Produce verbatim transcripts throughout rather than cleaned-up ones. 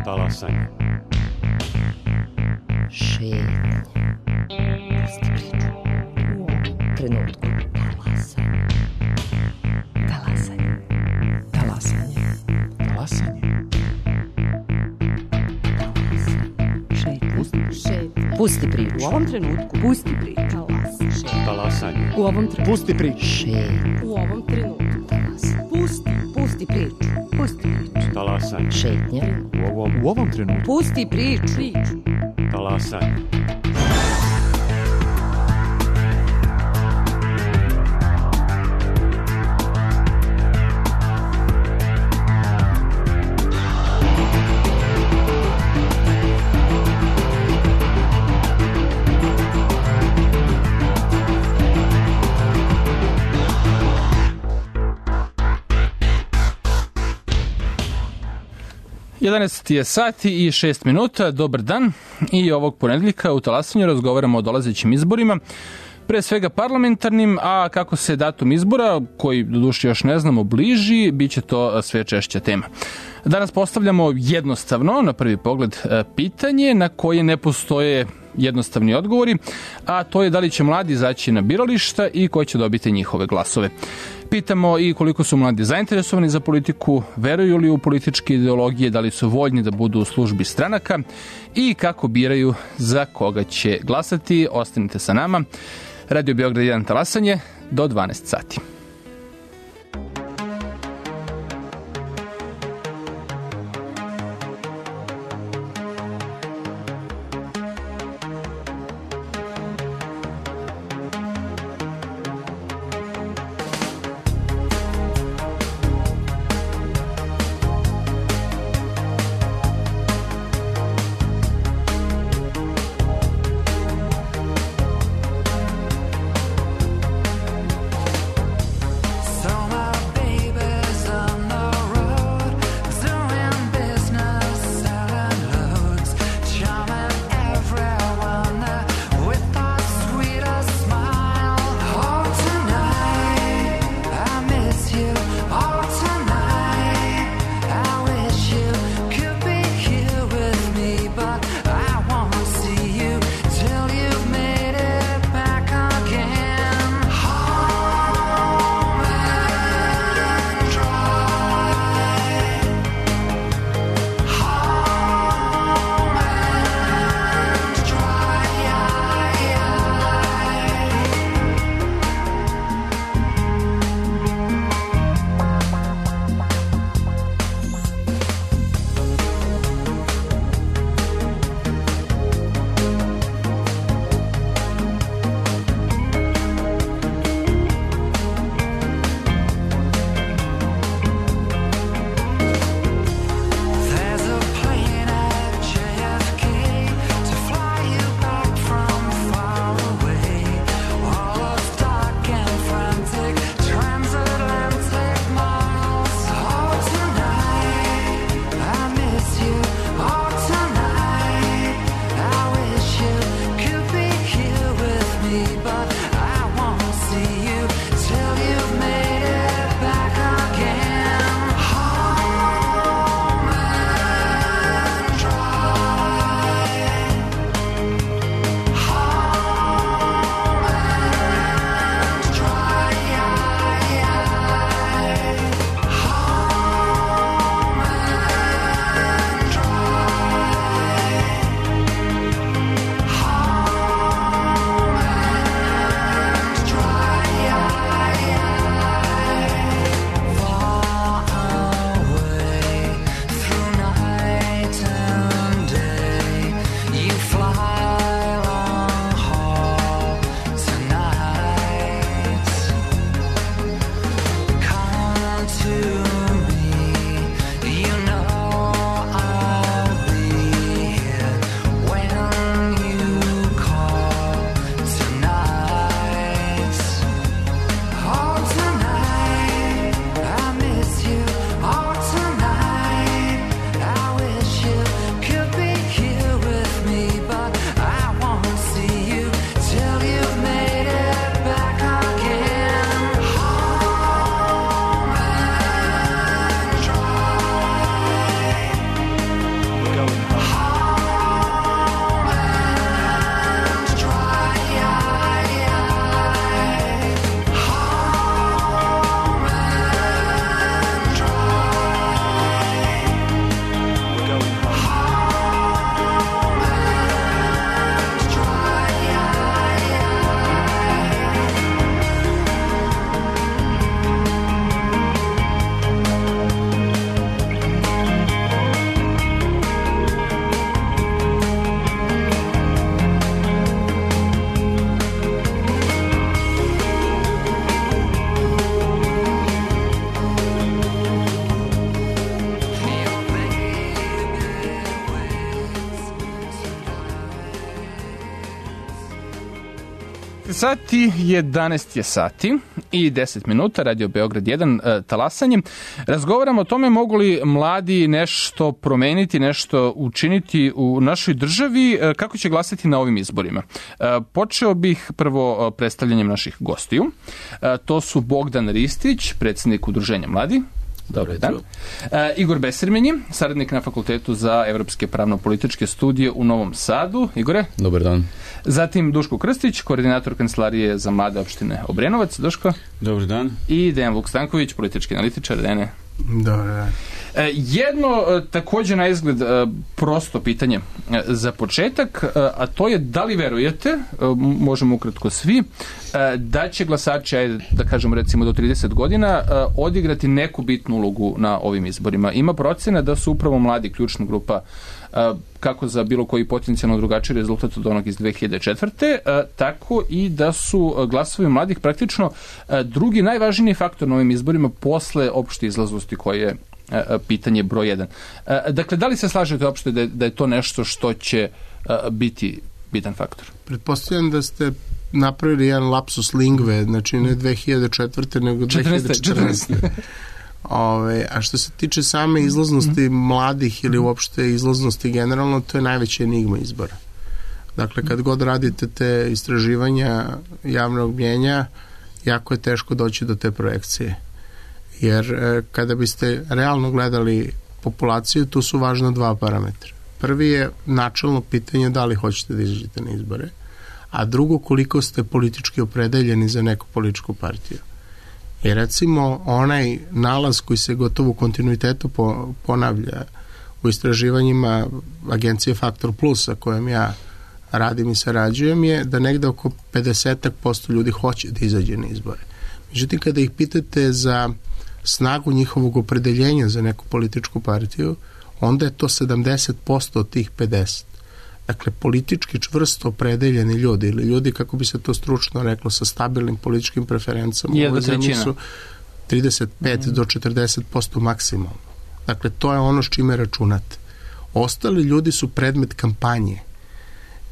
Talasanje. Šetnja. Pusti priču. U ovom trenutku. Talasanje. Talasanje. Talasanje. Šetnja. Pusti priču. U ovom trenutku. Pusti priču. Talasanje. U ovom trenutku. Pusti priču. Šetnja. U ovom trenutku. Talasanje. Pusti. Pusti priču. Pusti priču. Talasanje. Šetnja. U ovom, U ovom trenutku. Pusti priču. Priču. talasanje. jedanaest je sati i šest minuta, dobar dan, i ovog ponedjeljka u Talasanju razgovaramo o dolazećim izborima, pre svega parlamentarnim, a kako se datum izbora, koji doduše još ne znamo, bliži, bit će to sve češća tema. Danas postavljamo jednostavno, na prvi pogled, pitanje na koje ne postoje jednostavni odgovori, a to je da li će mladi izaći na birališta i ko će dobiti njihove glasove. Pitamo i koliko su mladi zainteresovani za politiku, veruju li u političke ideologije, da li su voljni da budu u službi stranaka i kako biraju za koga će glasati. Ostanite sa nama. Radio Beograd jedan Talasanje do dvanaest sati. sati, jedanaest je sati i deset minuta, Radio Beograd jedan, e, talasanje. Razgovaramo o tome mogu li mladi nešto promeniti, nešto učiniti u našoj državi, e, kako će glasati na ovim izborima. E, počeo bih prvo predstavljanjem naših gostiju. E, to su Bogdan Ristić, predsjednik Udruženja mladi. Dobar dan. E, Igor Besirmenji, saradnik na Fakultetu za evropske pravno-političke studije u Novom Sadu. Igore. Dobar dan. Zatim Duško Krstić, koordinator Kancelarije za mlade opštine Obrenovac. Duško. Dobar dan. I Dejan Vuk Stanković, politički analitičar. Dejane. Dobar dan. E, jedno e, također na izgled e, prosto pitanje e, za početak, e, a to je da li verujete, e, možemo ukratko svi, e, da će glasači, ajde, da kažemo recimo do trideset godina, e, odigrati neku bitnu ulogu na ovim izborima. Ima procena da su upravo mladi ključna grupa, e, kako za bilo koji potencijalno drugačiji rezultat od onog iz dve hiljade četvrte. E, tako i da su glasovi mladih praktično e, drugi najvažniji faktor na ovim izborima posle opšte izlaznosti koje je pitanje broj jedan. Dakle, da li se slažete uopšte da je, da je to nešto što će biti bitan faktor? Pretpostavljam da ste napravili jedan lapsus lingve, znači ne dve hiljade četvrte nego dve hiljade četrnaeste. Ove, a što se tiče same izlaznosti mm-hmm. mladih ili uopšte izlaznosti generalno, to je najveća enigma izbora. Dakle, kad god radite te istraživanja javnog mnjenja, jako je teško doći do te projekcije. Jer e, kada biste realno gledali populaciju, tu su važna dva parametra. Prvi je načelno pitanje da li hoćete da izađete na izbore, a drugo koliko ste politički opredeljeni za neku političku partiju. I recimo onaj nalaz koji se gotovo u kontinuitetu po, ponavlja u istraživanjima agencije Faktor Plus, sa kojom ja radim i sarađujem, je da negde oko pedeset posto ljudi hoće da izađe na izbore. Međutim, kada ih pitate za snagu njihovog opredeljenja za neku političku partiju, onda je to sedamdeset posto od tih pedeset. Dakle, politički čvrsto opredeljeni ljudi ili ljudi, kako bi se to stručno reklo, sa stabilnim političkim preferencama u ovoj zemlji su trideset pet do četrdeset posto maksimalno. Dakle, to je ono s čime računate. Ostali ljudi su predmet kampanje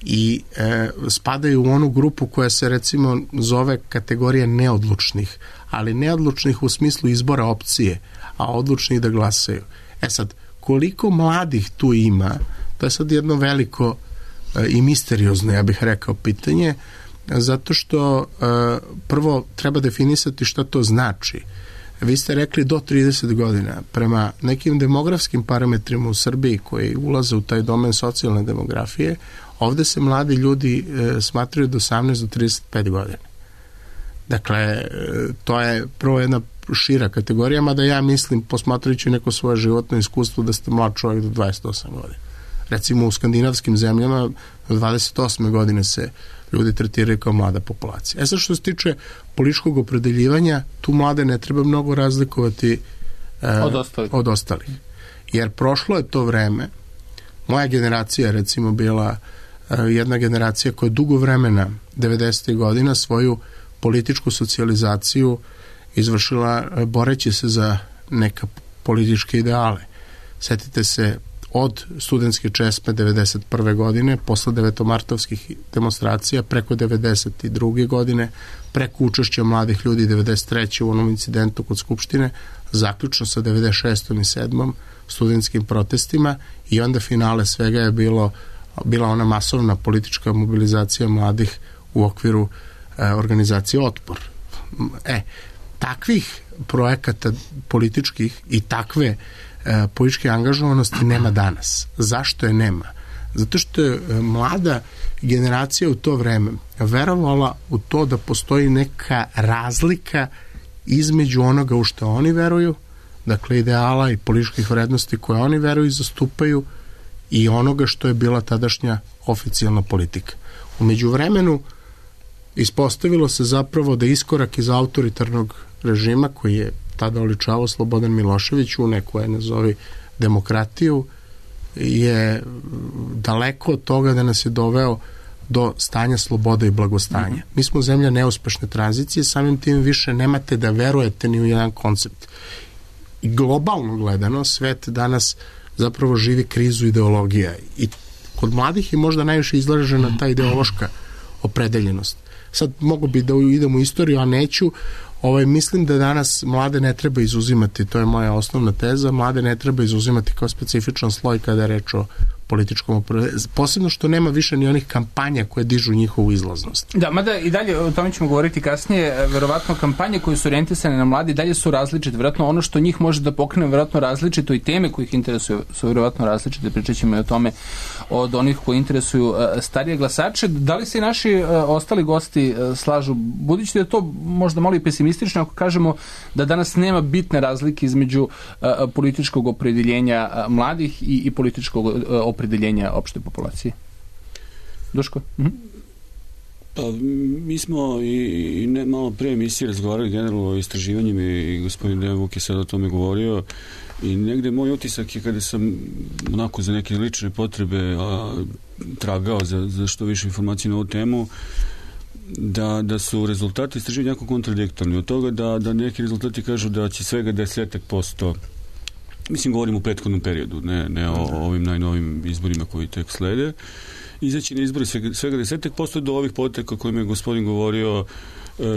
i e, spadaju u onu grupu koja se recimo zove kategorija neodlučnih, ali neodlučnih u smislu izbora opcije, a odlučnih da glasaju. E sad, koliko mladih tu ima, to je sad jedno veliko e, i misteriozno, ja bih rekao, pitanje, zato što e, prvo treba definisati šta to znači. Vi ste rekli do trideset godina. Prema nekim demografskim parametrima u Srbiji koji ulaze u taj domen socijalne demografije, ovde se mladi ljudi e, smatraju od osamnaest do trideset pet godina. Dakle, e, to je prvo jedna šira kategorija, mada ja mislim, posmatrajući neko svoje životno iskustvo, da ste mlad čovjek do dvadeset osam godina. Recimo u skandinavskim zemljama do dvadeset osme godine se ljudi tretiraju kao mlada populacija. E sad, što se tiče političkog opredeljivanja, tu mlade ne treba mnogo razlikovati e, od ostalih. od ostalih. Jer prošlo je to vreme, moja generacija recimo bila e, jedna generacija koja je dugo vremena, devedesetih godina, svoju političku socijalizaciju izvršila e, boreći se za neka političke ideale. Setite se od studentske česme devedeset prve godine, posle devetomartovskih demonstracija, preko devedeset druge godine, preko učešća mladih ljudi devedeset treće u onom incidentu kod Skupštine, zaključno sa devedeset šestom i sedmom studentskim protestima, i onda finale svega je bilo, bila ona masovna politička mobilizacija mladih u okviru e, organizacije Otpor. E, takvih projekata političkih i takve e, političke angažovanosti nema danas. Zašto je nema? Zato što je mlada generacija u to vreme verovala u to da postoji neka razlika između onoga u što oni veruju, dakle ideala i političkih vrednosti koje oni veruju i zastupaju, i onoga što je bila tadašnja oficijalna politika. U međuvremenu ispostavilo se zapravo da iskorak iz autoritarnog režima koji je tada oličavao Slobodan Milošević u neku, je nazovi, demokratiju, je daleko od toga da nas je doveo do stanja slobode i blagostanja. Mm-hmm. Mi smo zemlja neuspešne tranzicije, samim tim više nemate da verujete ni u jedan koncept. I globalno gledano, svet danas zapravo živi krizu ideologija i kod mladih je možda najviše izražena ta ideološka opredeljenost. sad mogu bi da idem u istoriju, a neću. Ovaj, mislim da danas mlade ne treba izuzimati, to je moja osnovna teza, mlade ne treba izuzimati kao specifičan sloj kada je reč o političkom opredeljenju. Posebno što nema više ni onih kampanja koje dižu njihovu izlaznost. Da, mada i dalje, o tome ćemo govoriti kasnije, verovatno kampanje koje su orijentisane na mladi dalje su različite, verovatno ono što njih može da pokrene verovatno različito i teme koje ih interesuju su verovatno različite, pričat ćemo i o tome od onih koji interesuju starije glasače. Da li se i naši ostali gosti slažu, budući da je to možda malo i pesimistično ako kažemo da danas nema bitne razlike između političkog opredeljenja mladih i, i političkog opredeljenja opšte populacije? Duško? Mhm. Pa, mi smo i, i ne, malo pre emisije razgovarali generalno o istraživanjima i gospodin Dejan Vuk je sad o tome govorio i negde moj utisak je kada sam onako za neke lične potrebe a, tragao za, za što više informacije na ovu temu, da, da su rezultati istraživanja jako kontradiktorni. Od toga da, da neki rezultati kažu da će svega desetak posto, mislim govorim u prethodnom periodu, ne, ne o, o ovim najnovim izborima koji tek slede, izaći na izbori svega, svega desetak posto do ovih poteka o kojima je gospodin govorio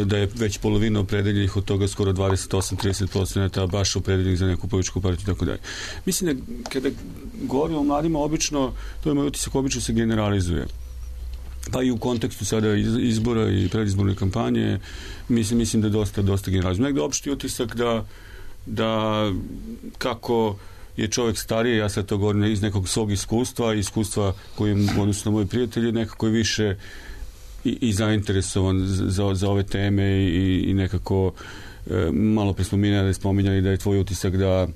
da je već polovina opredeljenih, od toga skoro dvadeset osam do trideset posto baš opredeljenih za neku političku partiju i tako dalje. Mislim da kada govorimo o mladima, obično, to je moj utisak, obično se generalizuje. Pa i u kontekstu sada izbora i predizborne kampanje, mislim, mislim da dosta, dosta generalizuje. Negde opšti utisak da da kako je čovjek stariji, ja sad to govorim iz nekog svog iskustva, iskustva koje je odnosno moji prijatelji, nekako je više i, i zainteresovan za, za ove teme i, i nekako e, malo pre spominjali, spominjali da je tvoj utisak da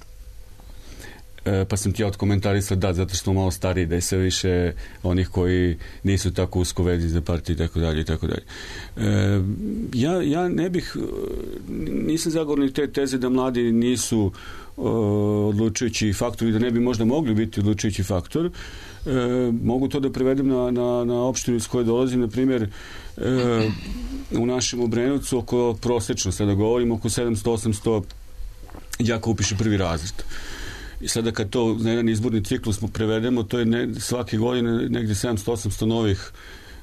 e, pa sam ti ja odkomentarisao da, zato što smo malo stariji, da je sve više onih koji nisu tako usko vezi za partiju i tako dalje i tako dalje. E, ja, ja ne bih nisam zagovornik te teze da mladi nisu uh, odlučujući faktor i da ne bi možda mogli biti odlučujući faktor. E, mogu to da prevedem na, na, na opštinu iz koje dolazim, na primjer e, u našem Obrenovcu oko prosečno, sada govorim, oko sedamsto osamsto đaka upiše prvi razred. I sada kad to na jedan izborni ciklus prevedemo, to je ne, svake godine negdje sedamsto osamsto novih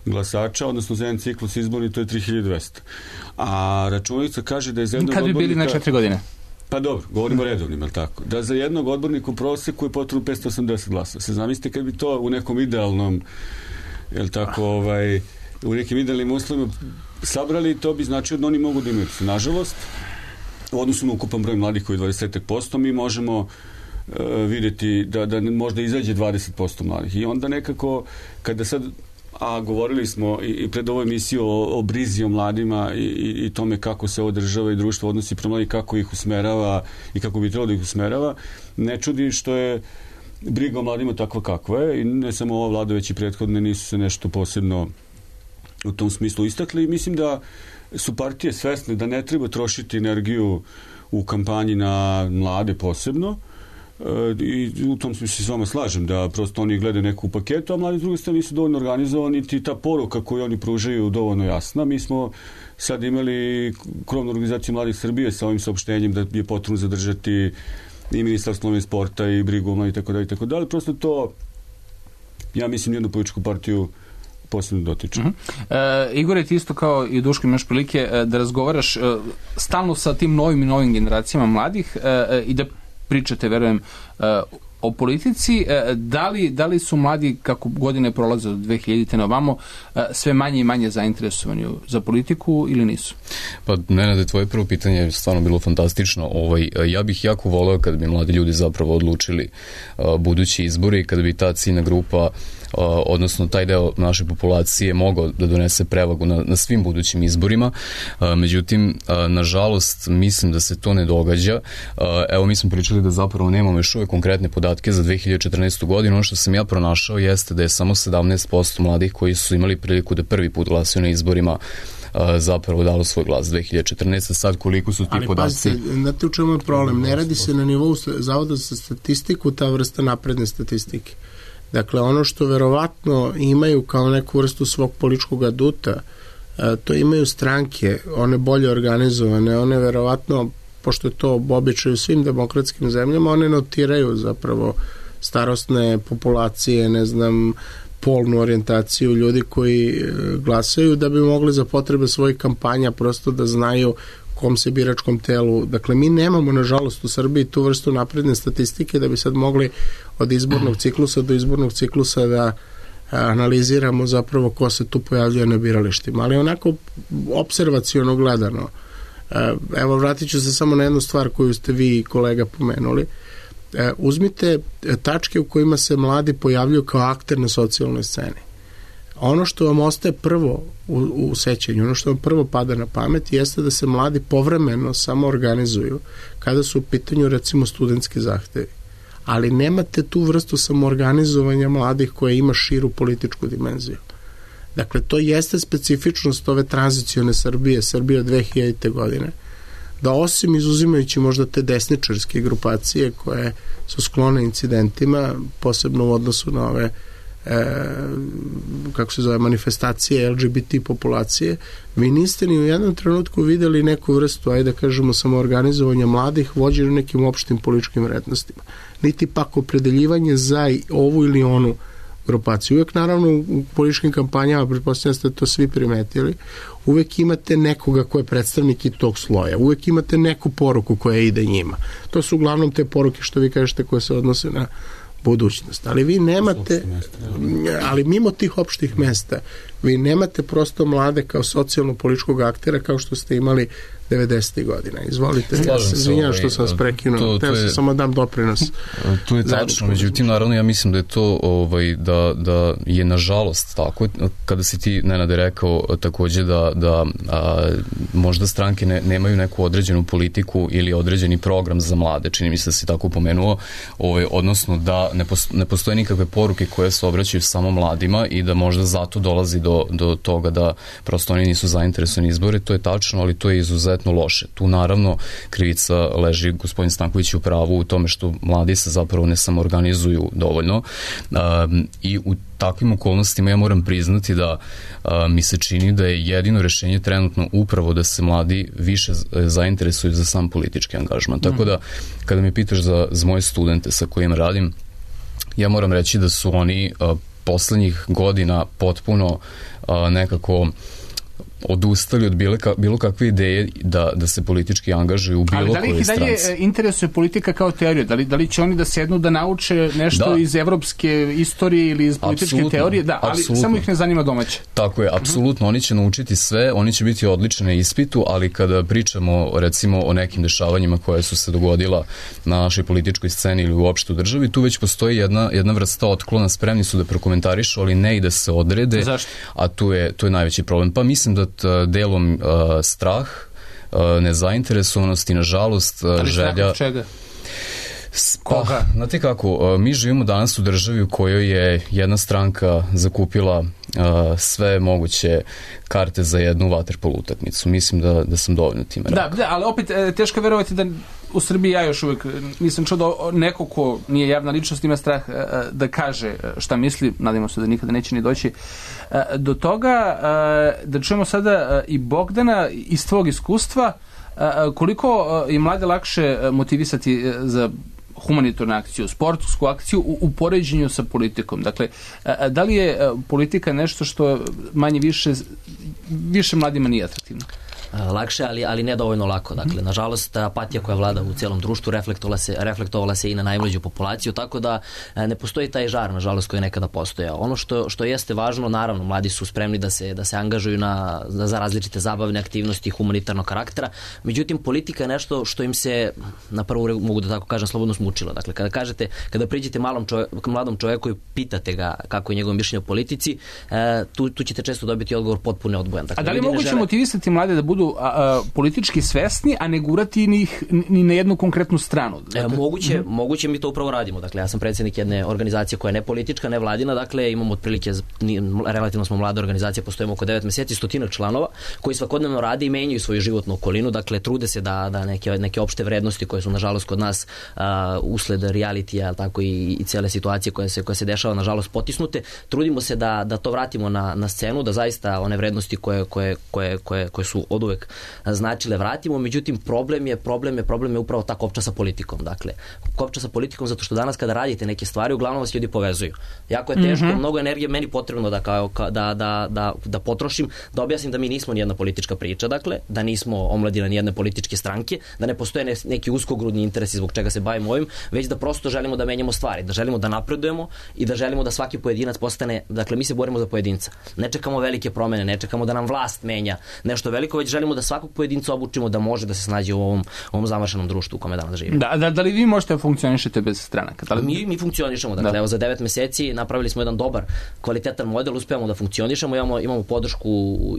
glasača, odnosno za jedan ciklus izborni, to je tri hiljade dvesta. A računica kaže da je za jednog odbornika... Kad bi bili na četiri godine? Pa dobro, govorimo o redovnim, ali tako? Da za jednog odbornika u proseku je potrebno petsto osamdeset glasa. Se zamislite kad bi to u nekom idealnom, jel tako, ovaj, u nekim idealnim uslovima sabrali, to bi značilo da oni mogu da imaju. Nažalost, u odnosu na ukupan broj mladih koji je dvadeset posto, mi možemo uh, vidjeti da, da možda izađe dvadeset posto mladih. I onda nekako, kada sad a govorili smo i, i pred ovoj emisiju o, o brizi o mladima i, i, i tome kako se ovo država i društvo odnosi prema mladih, kako ih usmerava i kako bi trebalo da ih usmerava, ne čudi što je briga o mladima takva kakva je i ne samo ova vlada, već i prethodne nisu se nešto posebno u tom smislu istakli i mislim da su partije svesne da ne treba trošiti energiju u kampanji na mlade posebno, i u tom smislu se s vama slažem da prosto oni gledaju neku paketu, a mladi s druge strane nisu dovoljno organizovani i ta poruka koju oni pružaju dovoljno jasna. Mi smo sad imali krovnu organizaciju Mladih Srbije sa ovim saopštenjem da je potrebno zadržati i ministarstvo i sporta i brigu o mladih i tako dalje i tako dalje. Prosto to, ja mislim, jednu političku partiju posebno dotiče. Uh-huh. E, Igor, ti isto kao i Duško imaš prilike da razgovaraš e, stalno sa tim novim i novim generacijama mladih e, i da pričate, verujem, o politici. Da li, da li su mladi, kako godine prolaze od dve hiljadite na ovamo, sve manje i manje zainteresovani za politiku ili nisu? Pa, Nenade, tvoje prvo pitanje je stvarno bilo fantastično. Ovaj, ja bih jako voleo kada bi mladi ljudi zapravo odlučili budući izbori, kada bi ta ciljna grupa odnosno taj deo naše populacije mogao da donese prevagu na, na svim budućim izborima. Međutim, nažalost, mislim da se to ne događa. Evo, mi smo pričali da zapravo nemamo još uvek konkretne podatke za dve hiljade četrnaestu. godinu. Ono što sam ja pronašao jeste da je samo sedamnaest posto mladih koji su imali priliku da prvi put glasaju na izborima zapravo dalo svoj glas dve hiljade četrnaeste. Sad koliko su ti ali podaci... Ali pazite, znate u čemu je problem? Ne radi se na nivou Zavoda za statistiku ta vrsta napredne statistike. Dakle, ono što verovatno imaju kao neku vrstu svog političkog aduta, to imaju stranke, one bolje organizovane, one verovatno, pošto je to običaj u svim demokratskim zemljama, one notiraju zapravo starostne populacije, ne znam, polnu orijentaciju ljudi koji glasaju, da bi mogli za potrebe svojih kampanja prosto da znaju kom se biračkom telu. Dakle, mi nemamo, nažalost, u Srbiji tu vrstu napredne statistike da bi sad mogli od izbornog ciklusa do izbornog ciklusa da analiziramo zapravo ko se tu pojavljuje na biralištima. Ali onako observaciono gledano, evo vratit ću se samo na jednu stvar koju ste vi, kolega, pomenuli. Uzmite tačke u kojima se mladi pojavljuju kao akter na socijalnoj sceni. Ono što vam ostaje prvo u, u sećanju, ono što vam prvo pada na pamet jeste da se mladi povremeno samo organizuju kada su u pitanju recimo studentski zahtevi. Ali nemate tu vrstu samoorganizovanja mladih koja ima širu političku dimenziju. Dakle, to jeste specifičnost ove tranzicione Srbije, Srbije od dve hiljadite godine, da osim izuzimajući možda te desničarske grupacije koje su sklone incidentima, posebno u odnosu na ove e, kako se zove, manifestacije L G B T populacije, vi niste ni u jednom trenutku videli neku vrstu, ajde da kažemo, samoorganizovanja mladih vođeni nekim opštim političkim vrednostima. Niti pak opredeljivanje za ovu ili onu grupaciju. Uvek, naravno, u političkim kampanjama, pretpostavljam ste to svi primetili, uvek imate nekoga ko je predstavnik i tog sloja. Uvek imate neku poruku koja ide njima. To su uglavnom te poruke, što vi kažete, koje se odnose na budućnost. Ali vi nemate, ali mimo tih opštih mesta, vi nemate prosto mlade kao socijalno-političkog aktera kao što ste imali devedesetih godina. Izvolite, ja se izvinjam što sam vas prekinuo. Teo sam samo dam doprinos. To je tačno, međutim, naravno, ja mislim da je to ovaj, da, da je nažalost tako, kada si ti, Nenade, rekao takođe da, da a, možda stranke ne, nemaju neku određenu politiku ili određeni program za mlade, čini mi se da si tako pomenuo, ovaj, odnosno da ne, posto, ne postoje nikakve poruke koje se obraćaju samo mladima i da možda zato dolazi do, do toga da prosto oni nisu zainteresovani izbore. To je tačno, ali to je izuzetno loše. Tu naravno krivica leži, gospodin Stanković, u pravu u tome što mladi se zapravo ne samoorganizuju dovoljno um, i u takvim okolnostima ja moram priznati da a, mi se čini da je jedino rešenje trenutno upravo da se mladi više zainteresuju za sam politički angažman. Mm. Tako da kada mi pitaš za, za moje studente sa kojima radim, ja moram reći da su oni a, poslednjih godina potpuno a, nekako odustali od bilo, ka, bilo kakve ideje da, da se politički angažuju u bilo kojoj stranci. Ali da li ih i dalje interesuje politika kao teorija? Da li, da li će oni da sednu da nauče nešto da. iz evropske istorije ili iz političke apsolutno, teorije? Da, ali apsolutno. Samo ih ne zanima domaće. Tako je, apsolutno. Oni će naučiti sve, oni će biti odlični na ispitu, ali kada pričamo recimo o nekim dešavanjima koje su se dogodila na našoj političkoj sceni ili uopšte u državi, tu već postoji jedna, jedna vrsta otklona, spremni su da prokomentarišu, ali ne i da se odrede. Zašto? A tu je, tu je najveći problem. Pa mislim da delom uh, strah, uh, nezainteresovanost i nažalost uh, želja... Ali strah od čega? Pa, znate kako, uh, mi živimo danas u državi u kojoj je jedna stranka zakupila uh, sve moguće karte za jednu vaterpolo utakmicu. Mislim da, da sam dovoljno time rekao. Da, da, ali opet teško je verovati da u Srbiji ja još uvijek nisam čuo da neko ko nije javna ličnost ima strah da kaže šta misli, nadamo se da nikada neće ni doći do toga. Da čujemo sada i Bogdana iz tvog iskustva, koliko je mlade lakše motivisati za humanitarnu akciju, sportsku akciju u, u poređenju sa politikom. Dakle, da li je politika nešto što manje više više mladima nije atraktivno? Lakše, ali, ali ne dovoljno lako. Dakle, nažalost, apatija koja vlada u cijelom društvu reflektovala se, reflektovala se i na najmlađu populaciju, tako da ne postoji taj žar, nažalost, koji je nekada postojao. Ono što, što jeste važno, naravno, mladi su spremni da se, da se angažuju na, za različite zabavne aktivnosti humanitarnog karaktera, međutim, politika je nešto što im se, na prvu mogu da tako kažem, slobodno smučilo. Dakle, kada kažete, kada priđete malom čovjeku, mladom čovjeku i pitate ga kako je njegovo mišljenje o politici, tu, tu ćete često dobiti odgovor potpuno odbojan. Dakle, a da li moguće žele... motivisati mlade da budu A, a, politički svesni, a ne gurati ni, ni na jednu konkretnu stranu? Dakle, e, moguće, mm-hmm. moguće mi to upravo radimo. Dakle, ja sam predsjednik jedne organizacije koja je ne politička, ne vladina, dakle imamo otprilike, relativno smo mlada organizacija, postojimo oko devet meseci, stotinak članova koji svakodnevno rade i menjaju svoju životnu okolinu, dakle trude se da, da neke, neke opšte vrednosti koje su nažalost kod nas a, usled realitija, tako i, i cijele situacije koje se, koje se dešava nažalost potisnute, trudimo se da, da to vratimo na, na scenu, da zaista one vrednosti koje, koje, koje, koje, koje su oduvek uvek značile vratimo, međutim problem je, problem je, problem je upravo ta kopča sa politikom. Dakle, kopča sa politikom zato što danas kada radite neke stvari, uglavnom vas ljudi povezuju. Jako je teško, mm-hmm. mnogo energije meni potrebno da, kao, da, da, da, da potrošim, da objasnim da mi nismo nijedna politička priča, dakle, da nismo omladina nijedne političke stranke, da ne postoje ne, neki uskogrudni interesi zbog čega se bavimo ovim, već da prosto želimo da menjamo stvari, da želimo da napredujemo i da želimo da svaki pojedinac postane, dakle, mi se borimo za pojedinca. Ne čekamo velike promene, ne čekamo da nam vlast menja nešto veliko, već želimo da svakog pojedinca obučimo da može da se snađe u ovom, ovom zamršenom društvu u kome danas živimo. Da, da, da li vi možete funkcionišete bez stranaka? Da li... Mi, mi funkcionišemo, dakle, da. Evo za devet meseci napravili smo jedan dobar, kvalitetan model, uspevamo da funkcionišemo, imamo, imamo podršku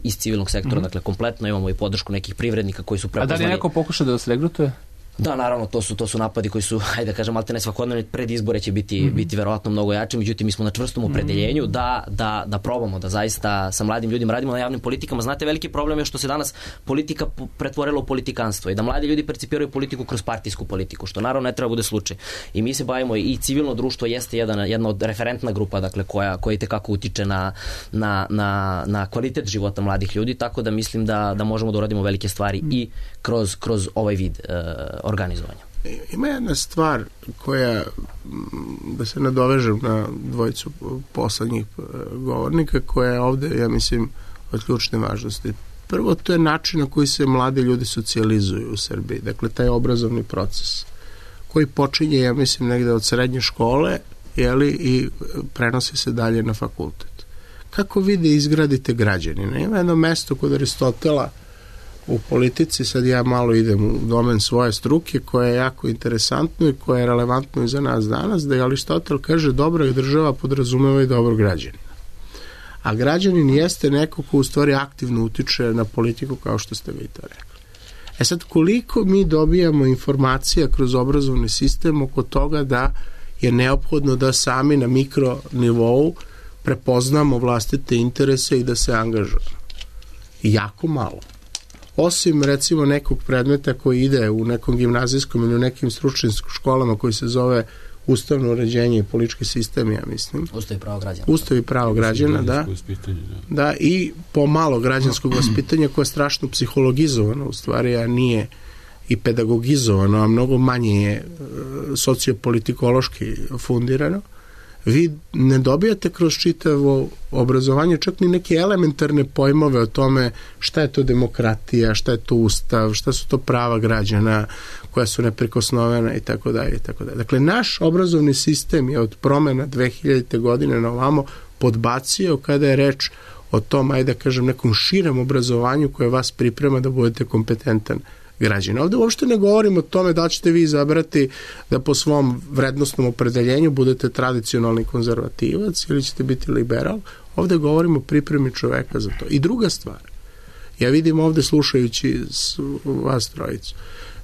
iz civilnog sektora, mm-hmm. dakle, kompletno, imamo i podršku nekih privrednika koji su prepoznali. A da li neko pokuša da vas regrutuje? Da, naravno, to su to su napadi koji su, hajde da kažem, alterne svakodnevni, pred izbore će biti mm-hmm. biti verovatno mnogo jači, međutim mi smo na čvrstom opredeljenju da da da probamo da zaista sa mladim ljudima radimo na javnim politikama. Znate, veliki problem je što se danas politika pretvorila u politikanstvo i da mladi ljudi percipiraju politiku kroz partijsku politiku, što naravno ne treba bude slučaj. I mi se bavimo i civilno društvo jeste jedan jedna od referentna grupa, dakle koja koja itekako utiče na na na na kvalitet života mladih ljudi, tako da mislim da da možemo da uradimo velike stvari mm. i kroz kroz ovaj vid uh, organizovanja. Ima jedna stvar koja, da se nadovežem na dvojicu poslednjih govornika, koja je ovde, ja mislim, od ključne važnosti. Prvo, to je način na koji se mladi ljudi socijalizuju u Srbiji. Dakle, taj obrazovni proces koji počinje, ja mislim, negde od srednje škole, jeli, i prenosi se dalje na fakultet. Kako vi da izgradite građanina? Ima jedno mesto kod Aristotela u politici, sad ja malo idem u domen svoje struke, koja je jako interesantno i koja je relevantno i za nas danas, da je Aristotel kaže dobra država podrazumeva i dobrog građanina. A građanin jeste neko ko u stvari aktivno utiče na politiku, kao što ste vi to rekli. E sad, koliko mi dobijamo informacija kroz obrazovni sistem oko toga da je neophodno da sami na mikro nivou prepoznamo vlastite interese i da se angažujemo? Jako malo. Osim, recimo, nekog predmeta koji ide u nekom gimnazijskom ili u nekim stručnim školama koji se zove ustavno uređenje i politički sistem, ja mislim. Ustav i pravo građana. Ustav i pravo građana, da. Da, i pomalo građanskog vaspitanja koje je strašno psihologizovano, u stvari, a nije i pedagogizovano, a mnogo manje je sociopolitikološki fundirano. Vi ne dobijate kroz čitavo obrazovanje čak ni neke elementarne pojmove o tome šta je to demokratija, šta je to ustav, šta su to prava građana koja su neprikosnovena i tako dalje i tako dalje. Dakle, naš obrazovni sistem je od promena dve hiljadite godine na ovamo podbacio kada je reč o tom, ajde da kažem, nekom širem obrazovanju koje vas priprema da budete kompetentan građana. Ovde uopšte ne govorimo o tome da ćete vi izabrati da po svom vrednostnom opredeljenju budete tradicionalni konzervativac ili ćete biti liberal. Ovde govorimo o pripremi čoveka za to. I druga stvar, ja vidim ovde slušajući vas trojicu,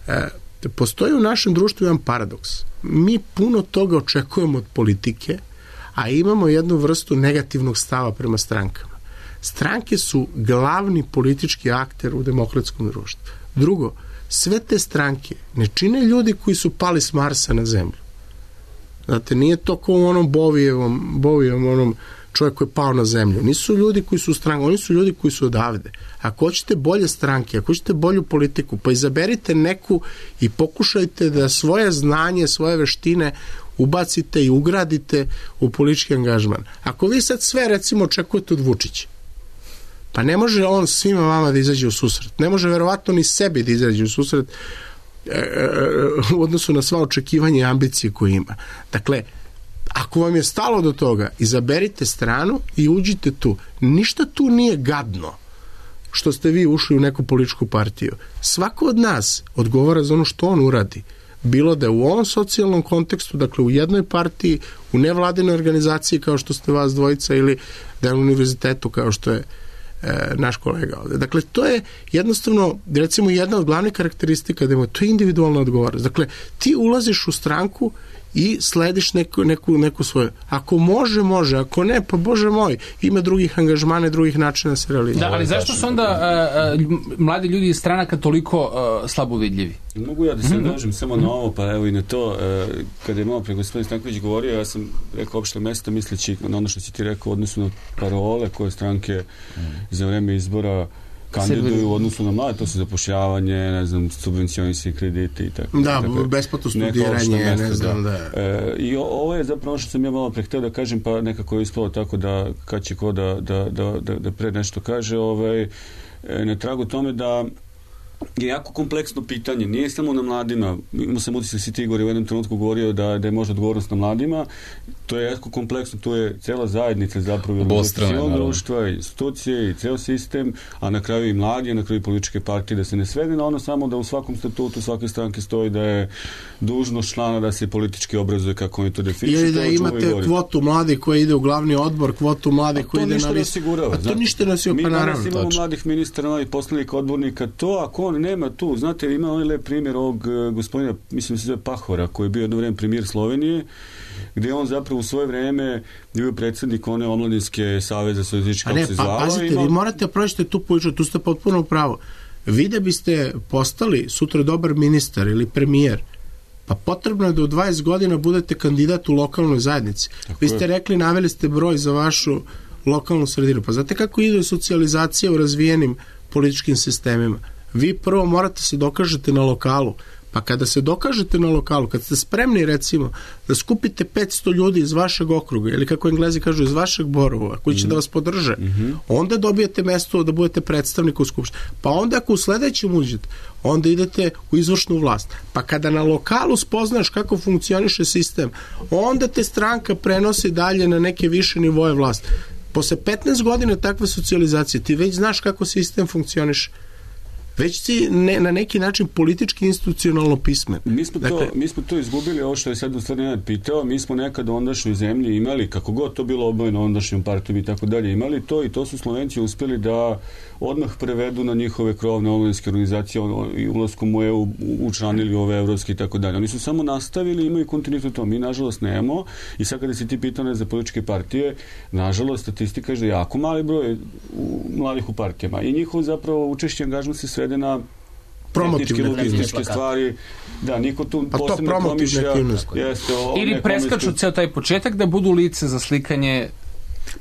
e, postoji u našem društvu jedan paradoks. Mi puno toga očekujemo od politike, a imamo jednu vrstu negativnog stava prema strankama. Stranke su glavni politički akter u demokratskom društvu. Drugo, sve te stranke ne čine ljudi koji su pali s Marsa na zemlju. Znate, nije to kao u onom Bovijevom, Bovijevom onom čovjek koji je pao na zemlju. Nisu ljudi koji su u stranku, oni su ljudi koji su odavde. Ako hoćete bolje stranke, ako hoćete bolju politiku, pa izaberite neku i pokušajte da svoje znanje, svoje veštine ubacite i ugradite u politički angažman. Ako vi sad sve, recimo, očekujete od Vučića, pa ne može on svima vama da izađe u susret. Ne može verovatno ni sebi da izađe u susret e, e, u odnosu na sva očekivanja i ambicije koje ima. Dakle, ako vam je stalo do toga, izaberite stranu i uđite tu. Ništa tu nije gadno što ste vi ušli u neku političku partiju. Svako od nas odgovara za ono što on uradi. Bilo da je u ovom socijalnom kontekstu, dakle u jednoj partiji, u nevladinoj organizaciji kao što ste vas dvojica ili da je u univerzitetu kao što je e, naš kolega ovde. Dakle, to je jednostavno, recimo, jedna od glavnih karakteristika da to je individualna odgovornost. Dakle, ti ulaziš u stranku i slediš neku, neku, neku svoju. Ako može, može. Ako ne, pa Bože moj, ima drugih angažmana, drugih načina da se realizuje. Da, ali zašto su onda uh, uh, mladi ljudi iz stranaka toliko uh, slabo vidljivi? Mogu ja da se nadovežem samo na ovo, pa evo i na to. Uh, kada je malo pre gospodin Stanković govorio, ja sam rekao opšte mesta misleći na ono što si ti rekao u odnosu na parole koje stranke mm. za vreme izbora kandiduju u odnosu na mlade, to su zapošljavanje, ne znam, subvencionisani krediti i tako. Da, tako, besplatno studiranje, mesta, ne znam, da. da. E, I ovo je zapravo što sam ja malo pre hteo da kažem, pa nekako je ispalo tako da kad će ko da, da, da, da, da pre nešto kaže, ovaj, na tragu tome da je jako kompleksno pitanje. Nije samo na mladima. Imao sam utisak si ti, Igor, u jednom trenutku govorio da, da je možda odgovornost na mladima. To je jako kompleksno. To je cela zajednica zapravo. Obostrane, društva, institucije i ceo sistem, a na kraju i mladi, a na kraju i političke partije, da se ne svede na ono samo da u svakom statutu svake stranke stoji da je dužnost člana da se politički obrazuje kako oni to definišu. Ili da imate kvotu mladih koji ide u glavni odbor, kvotu mladih koji ide na listu. A to ništa ne osigurava. Mi danas imamo mladih ministara, mladih poslanika, odbornika. To ako on nema tu, znate, ima onaj lep primjer ovog gospodina, mislim se zove Pahora, koji je bio jedno vreme premijer Slovenije, gdje on zapravo u svoje vreme bio predsjednik one omladinske saveza socijalističke, kako se zvalo. Pa pazite, ima... vi morate proći tu političku, tu ste potpuno upravo. Vi da biste postali sutra dobar ministar ili premijer, pa potrebno je da u dvadeset godina budete kandidat u lokalnoj zajednici. Tako vi ste je. rekli, naveli ste broj za vašu lokalnu sredinu. Pa znate kako ide socijalizacija u razvijenim političkim sistemima? Vi prvo morate se dokažete na lokalu, pa kada se dokažete na lokalu, kad ste spremni recimo da skupite petsto ljudi iz vašeg okruga ili kako Englezi kažu iz vašeg Borova koji će mm-hmm. da vas podrže, mm-hmm. onda dobijete mesto da budete predstavnik u skupštini. Pa onda ako u sledećem uđete, onda idete u izvršnu vlast. Pa kada na lokalu spoznaš kako funkcioniše sistem, onda te stranka prenosi dalje na neke više nivoje vlasti. Posle petnaest godina takve socijalizacije ti već znaš kako sistem funkcioniše. Već si ne, na neki način politički institucionalno pismen. Mi smo, dakle, to, mi smo to izgubili, ovo što je sad u stvari Nenad pitao, mi smo nekad u ondašnjoj zemlji imali, kako god to bilo obojeno ondašnjom partijom i tako dalje, imali to i to su Slovenci uspjeli da odmah prevedu na njihove krovne omladinske organizacije i ulaskom u E U učlanili ove evropske i tako dalje. Oni su samo nastavili, imaju kontinuitet to. Mi, nažalost, nemamo. I sad kada si ti pitao za političke partije, nažalost, statistika je da je jako mali broj u, mladih u partijama. I njihov zapravo učešće angažman se svede na tehničke, logističke stvari. Da, niko tu pa posebno promišlja. Jeste, ili preskaču ceo taj početak da budu lice za slikanje.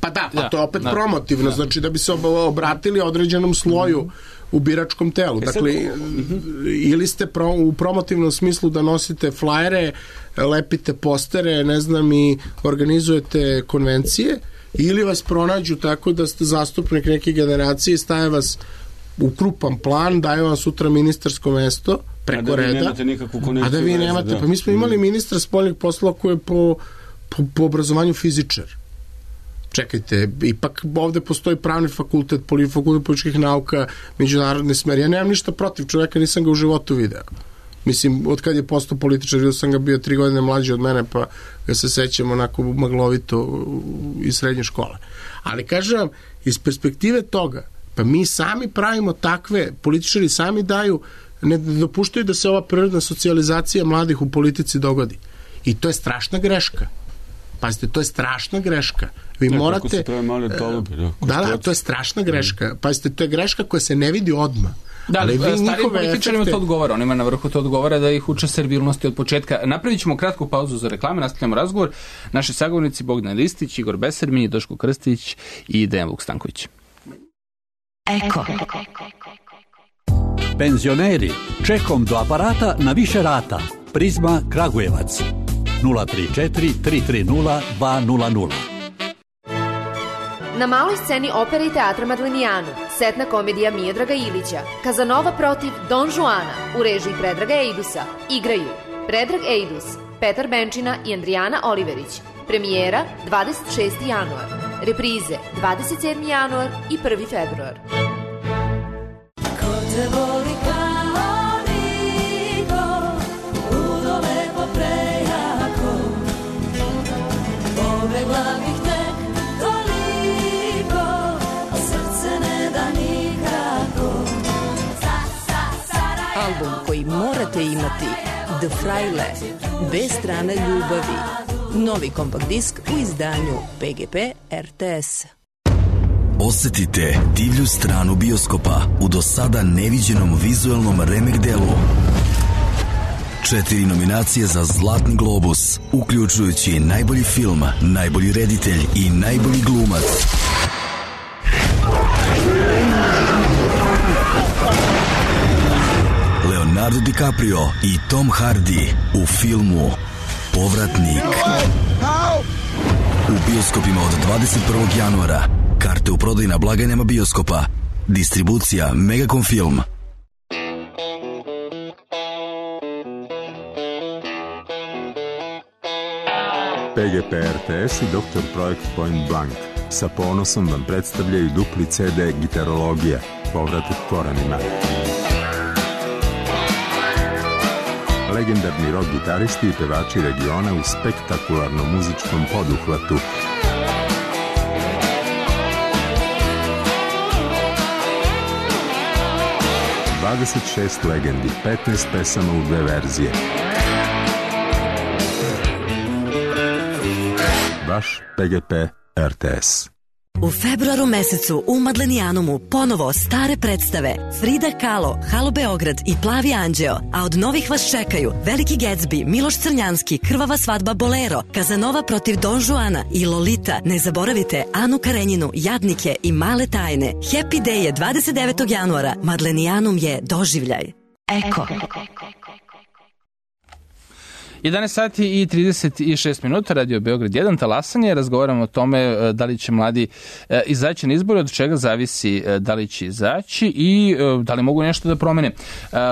Pa da, pa da, to je opet da, promotivno, da. Znači da bi se obratili određenom sloju mm-hmm. u biračkom telu. E, dakle, mm-hmm. ili ste pro, u promotivnom smislu da nosite flajere, lepite postere, ne znam, i organizujete konvencije, ili vas pronađu tako da ste zastupnik neke generacije, staje vas u krupan plan, daje vam sutra ministarsko mesto preko a da reda, a da vi nemate. Da. Pa mi smo imali ministra spoljnih poslova koji je po, po, po obrazovanju fizičar. Čekajte, ipak ovde postoji pravni fakultet, fakultet političkih nauka, međunarodne smeri. Ja nemam ništa protiv čovjeka, nisam ga u životu video. Mislim, od kad je postao političar, vidio sam ga bio tri godine mlađi od mene, pa ga se sećam onako maglovito iz srednje škole. Ali kažem, iz perspektive toga, pa mi sami pravimo takve, političari sami daju, ne dopuštaju da se ova prirodna socijalizacija mladih u politici dogodi. I to je strašna greška. Pazite, to je strašna greška. Vi ne, morate... Se pravi male tolubi, da, da, da, to je strašna greška. Pazite, to je greška koja se ne vidi odmah. Da, ali starijim političarima efekte... to odgovara, onima na vrhu to odgovara da ih uče servilnosti od početka. Napravit ćemo kratku pauzu za reklame, nastavljamo razgovor. Naši sagovornici Bogdan Ristić, Igor Besermin, Doško Krstić i Dejan Vuk-Stanković. Eko. Penzioneri, čekom do aparata na više rata. Prizma Kragujevac. nula tri četiri tri tri nula dva nula nula. Na maloj sceni opere i teatra Madlenijanu, setna komedija Miodraga Ilića, Kazanova protiv Don Juana u režiji Predraga Ejdusa, igraju Predrag Ejdus, Petar Benčina i Andrijana Oliverić. Premijera dvadeset šesti januar, reprize dvadeset sedmi januar i prvi februar. Ko te voli kao niko, ludo lepo prejako, pobegla bih tek toliko, a srce ne da nikako. Album koji morate imati, The Fraile, bez strane ljubavi. Novi kompakt disk u izdanju P G P R T S. Osetite divlju stranu bioskopa u do sada neviđenom vizuelnom remek delu. Četiri nominacije za Zlatni globus, uključujući najbolji film, najbolji reditelj i najbolji glumac. Leonardo DiCaprio i Tom Hardy u filmu Povratnik. U bioskopima od dvadeset prvog januara. Karte u prodaju na blagajnama bioskopa. Distribucija Megacom Film. P G P R T S i doktor Projekt Point Blank sa ponosom vam predstavljaju dupli C D Gitarologija, povratak korenima. Legendarni rock gitaristi i pevači regiona u spektakularnom muzičkom poduhvatu. dvadeset šest legendi, petnaest pesama u dve verzije. Vaš P G P R T S. U februaru mesecu u Madlenijanumu ponovo stare predstave Frida Kahlo, Halo Beograd i Plavi anđeo, a od novih vas čekaju Veliki Gatsby, Miloš Crnjanski, Krvava svadba Bolero, Kazanova protiv Don Juana i Lolita. Ne zaboravite Anu Karenjinu, Jadnike i Male tajne. Happy Day je dvadeset devetog januara. Madlenijanum je doživljaj. Eko. jedanaest sati i trideset šest minuta, Radio Beograd jedan, talasanje. Razgovaramo o tome da li će mladi izaći na izbore, od čega zavisi da li će izaći i da li mogu nešto da promene.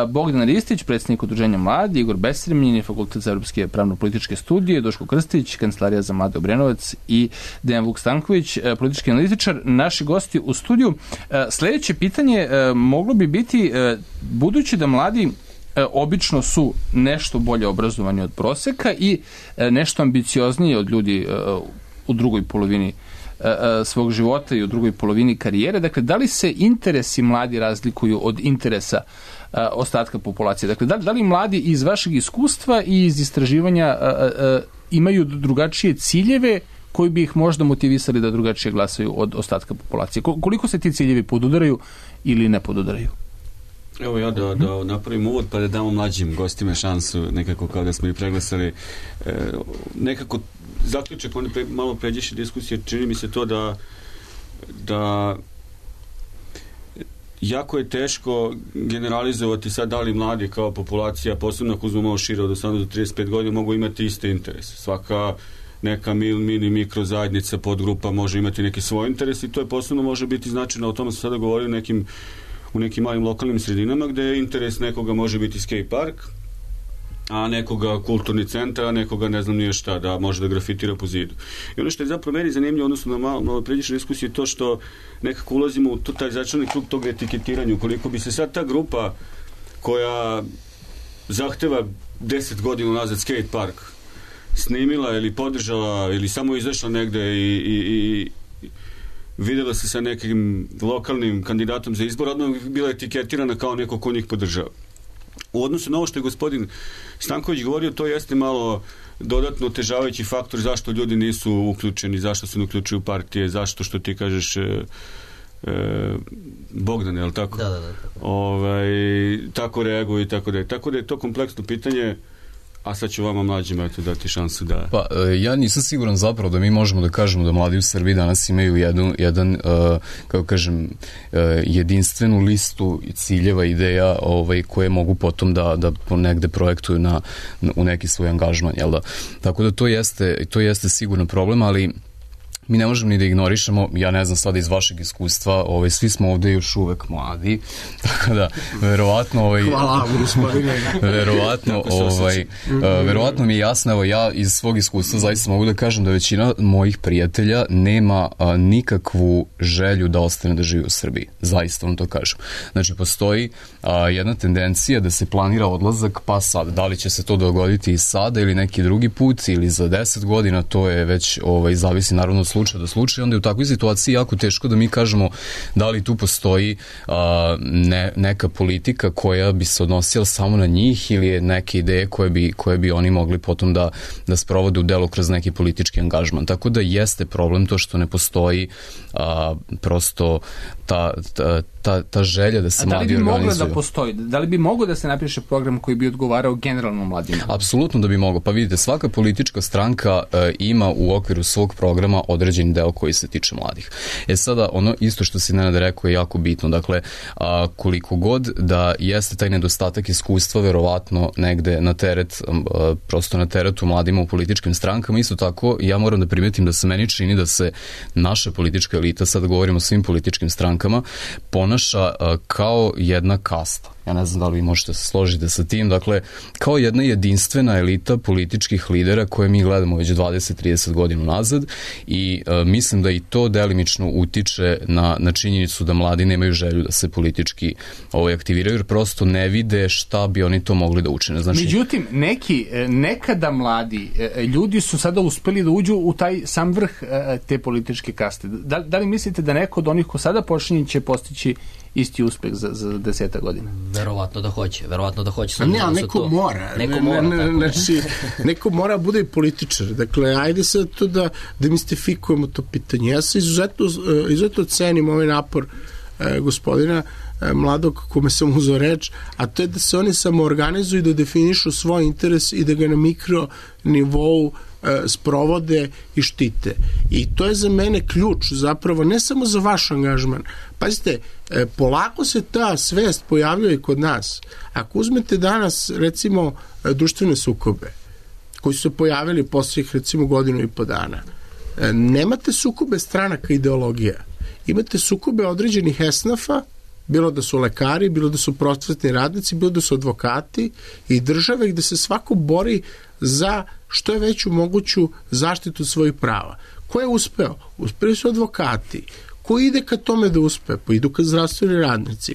Bogdan Ristić, predsjednik Udruženja mladi, Igor Besremljen, Fakultet za evropske pravno-političke studije, Duško Krstić, Kancelarija za mlade Obrenovac i Dejan Vuk Stanković, politički analitičar, naši gosti u studiju. Sljedeće pitanje moglo bi biti, budući da mladi obično su nešto bolje obrazovani od proseka i nešto ambiciozniji od ljudi u drugoj polovini svog života i u drugoj polovini karijere. Dakle, da li se interesi mladi razlikuju od interesa ostatka populacije? Dakle, da, da li mladi iz vašeg iskustva i iz istraživanja imaju drugačije ciljeve koji bi ih možda motivisali da drugačije glasaju od ostatka populacije? Koliko se ti ciljevi podudaraju ili ne podudaraju? Evo ja da, da napravim uvod pa da damo mlađim gostima šansu, nekako kao da smo i preglasali. E, nekako zaključak, oni pre, malo pređeše diskusije, čini mi se to da da jako je teško generalizovati sad da li mladi kao populacija, posebno ako uzmemo malo šire od osamnaest do trideset pet godina, mogu imati iste interese. Svaka neka mil, mini, mikro zajednica, podgrupa može imati neki svoj interes i to je posebno može biti značajno, o tome sam sada govorio nekim u nekim malim lokalnim sredinama gde je interes nekoga može biti skate park, a nekoga kulturni centar, a nekoga ne znam nije šta, da može da grafitira po zidu. I ono što je zapravo meni zanimljivo, odnosno na malo, malo pređešne diskusije, to što nekako ulazimo u taj začarani krug tog etiketiranja. Ukoliko bi se sad ta grupa koja zahteva deset godina nazad skate park snimila ili podržala ili samo izašla negde i, i, i videla se sa nekim lokalnim kandidatom za izbor, odmah bila etiketirana kao neko ko njih podržava. U odnosu na ovo što je gospodin Stanković govorio, to jeste malo dodatno otežavajući faktor zašto ljudi nisu uključeni, zašto se ne uključuju partije, zašto, što ti kažeš, e, e, Bogdan, je li tako? Da, da, da. Ovaj, tako reaguju i tako da je. Tako da je to kompleksno pitanje. A sad ću vama mlađima eto dati šansu da... Pa, ja nisam siguran zapravo da mi možemo da kažemo da mladi u Srbiji danas imaju jednu, jedan, uh, kako kažem, uh, jedinstvenu listu ciljeva, ideja ovaj, koje mogu potom da, da negde projektuju na, na, u neki svoj angažman, jel da? Tako da to jeste, to jeste sigurno problem, ali mi ne možemo ni da ignorišemo, ja ne znam sada iz vašeg iskustva, ovaj, svi smo ovde još uvek mladi, tako da verovatno ovaj, hvala gospodine verovatno ovaj, uh, verovatno mi je jasno, evo ja iz svog iskustva zaista mogu da kažem da većina mojih prijatelja nema a, nikakvu želju da ostane da živi u Srbiji, zaista vam to kažem. Znači postoji a, jedna tendencija da se planira odlazak, pa sad, da li će se to dogoditi i sada ili neki drugi put ili za deset godina, to je već ovaj, zavisi naravno od slučaja do slučaja, onda je u takvoj situaciji jako teško da mi kažemo da li tu postoji a, ne, neka politika koja bi se odnosila samo na njih ili je neke ideje koje bi, koje bi oni mogli potom da, da sprovode u delo kroz neki politički angažman. Tako da jeste problem to što ne postoji a, prosto ta, ta, ta, ta želja da se mladi organizuju. Da li bi mogla da postoji? Da li bi mogao da se napiše program koji bi odgovarao generalno mladima? Apsolutno da bi mogao. Pa vidite, svaka politička stranka e, ima u okviru svog programa određen deo koji se tiče mladih. E sada, ono isto što si Nenad rekao je jako bitno. Dakle, a, koliko god da jeste taj nedostatak iskustva verovatno negde na teret, a, prosto na teretu mladima u političkim strankama, isto tako ja moram da primetim da se meni čini da se naša politička elita, sad govorimo o svim političkim strankama, ponaša a, kao jedna kasta. Ja ne znam da li vi možete se složiti sa tim, dakle, kao jedna jedinstvena elita političkih lidera koje mi gledamo već dvadeset do trideset godina nazad i e, mislim da i to delimično utiče na, na činjenicu da mladi nemaju želju da se politički ovaj, aktiviraju, jer prosto ne vide šta bi oni to mogli da učine. Znači, međutim, neki, nekada mladi ljudi su sada uspeli da uđu u taj sam vrh te političke kaste. Da, da li mislite da neko od onih ko sada počinje će postići isti uspeh za, za deseta godina? Verovatno da hoće, verovatno da hoće. A ne, ali neko to. mora. Neko mora, ne, ne, znači, neko mora bude i političar. Dakle, ajde sad to da demistifikujemo to pitanje. Ja se izuzetno, izuzetno cenim ovaj napor eh, gospodina eh, mladog kome sam uzeo reč, a to je da se oni samo organizuju i da definišu svoj interes i da ga na mikro nivou sprovode i štite. I to je za mene ključ zapravo, ne samo za vaš angažman. Pazite, polako se ta svest pojavljuje i kod nas. Ako uzmete danas, recimo, društvene sukobe, koji su se pojavili posljednjih, recimo, godinu i po dana, nemate sukobe stranaka ideologija. Imate sukobe određenih esnafa, bilo da su lekari, bilo da su prosvetni radnici, bilo da su advokati i države gde se svako bori za što je veću moguću zaštitu svojih prava. Ko je uspeo? Uspeli su advokati. Ko ide ka tome da uspe? Pa idu ka zdravstveni radnici.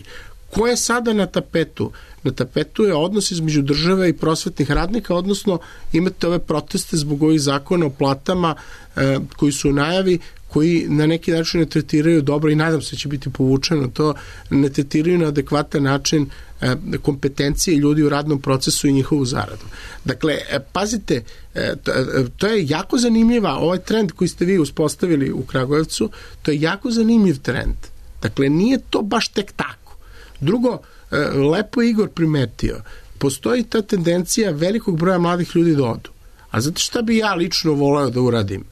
Ko je sada na tapetu? Na tapetu je odnos između države i prosvetnih radnika, odnosno imate ove proteste zbog ovih zakona o platama eh, koji su u najavi, koji na neki način ne tretiraju dobro i nadam se će biti povučeno to, ne tretiraju na adekvatan način e, kompetencije ljudi u radnom procesu i njihovu zaradu. Dakle, e, pazite, e, to, e, to je jako zanimljiva, ovaj trend koji ste vi uspostavili u Kragujevcu, to je jako zanimljiv trend. Dakle, nije to baš tek tako. Drugo, e, lepo je Igor primetio, postoji ta tendencija velikog broja mladih ljudi da odu. A znate šta bi ja lično voleo da uradim?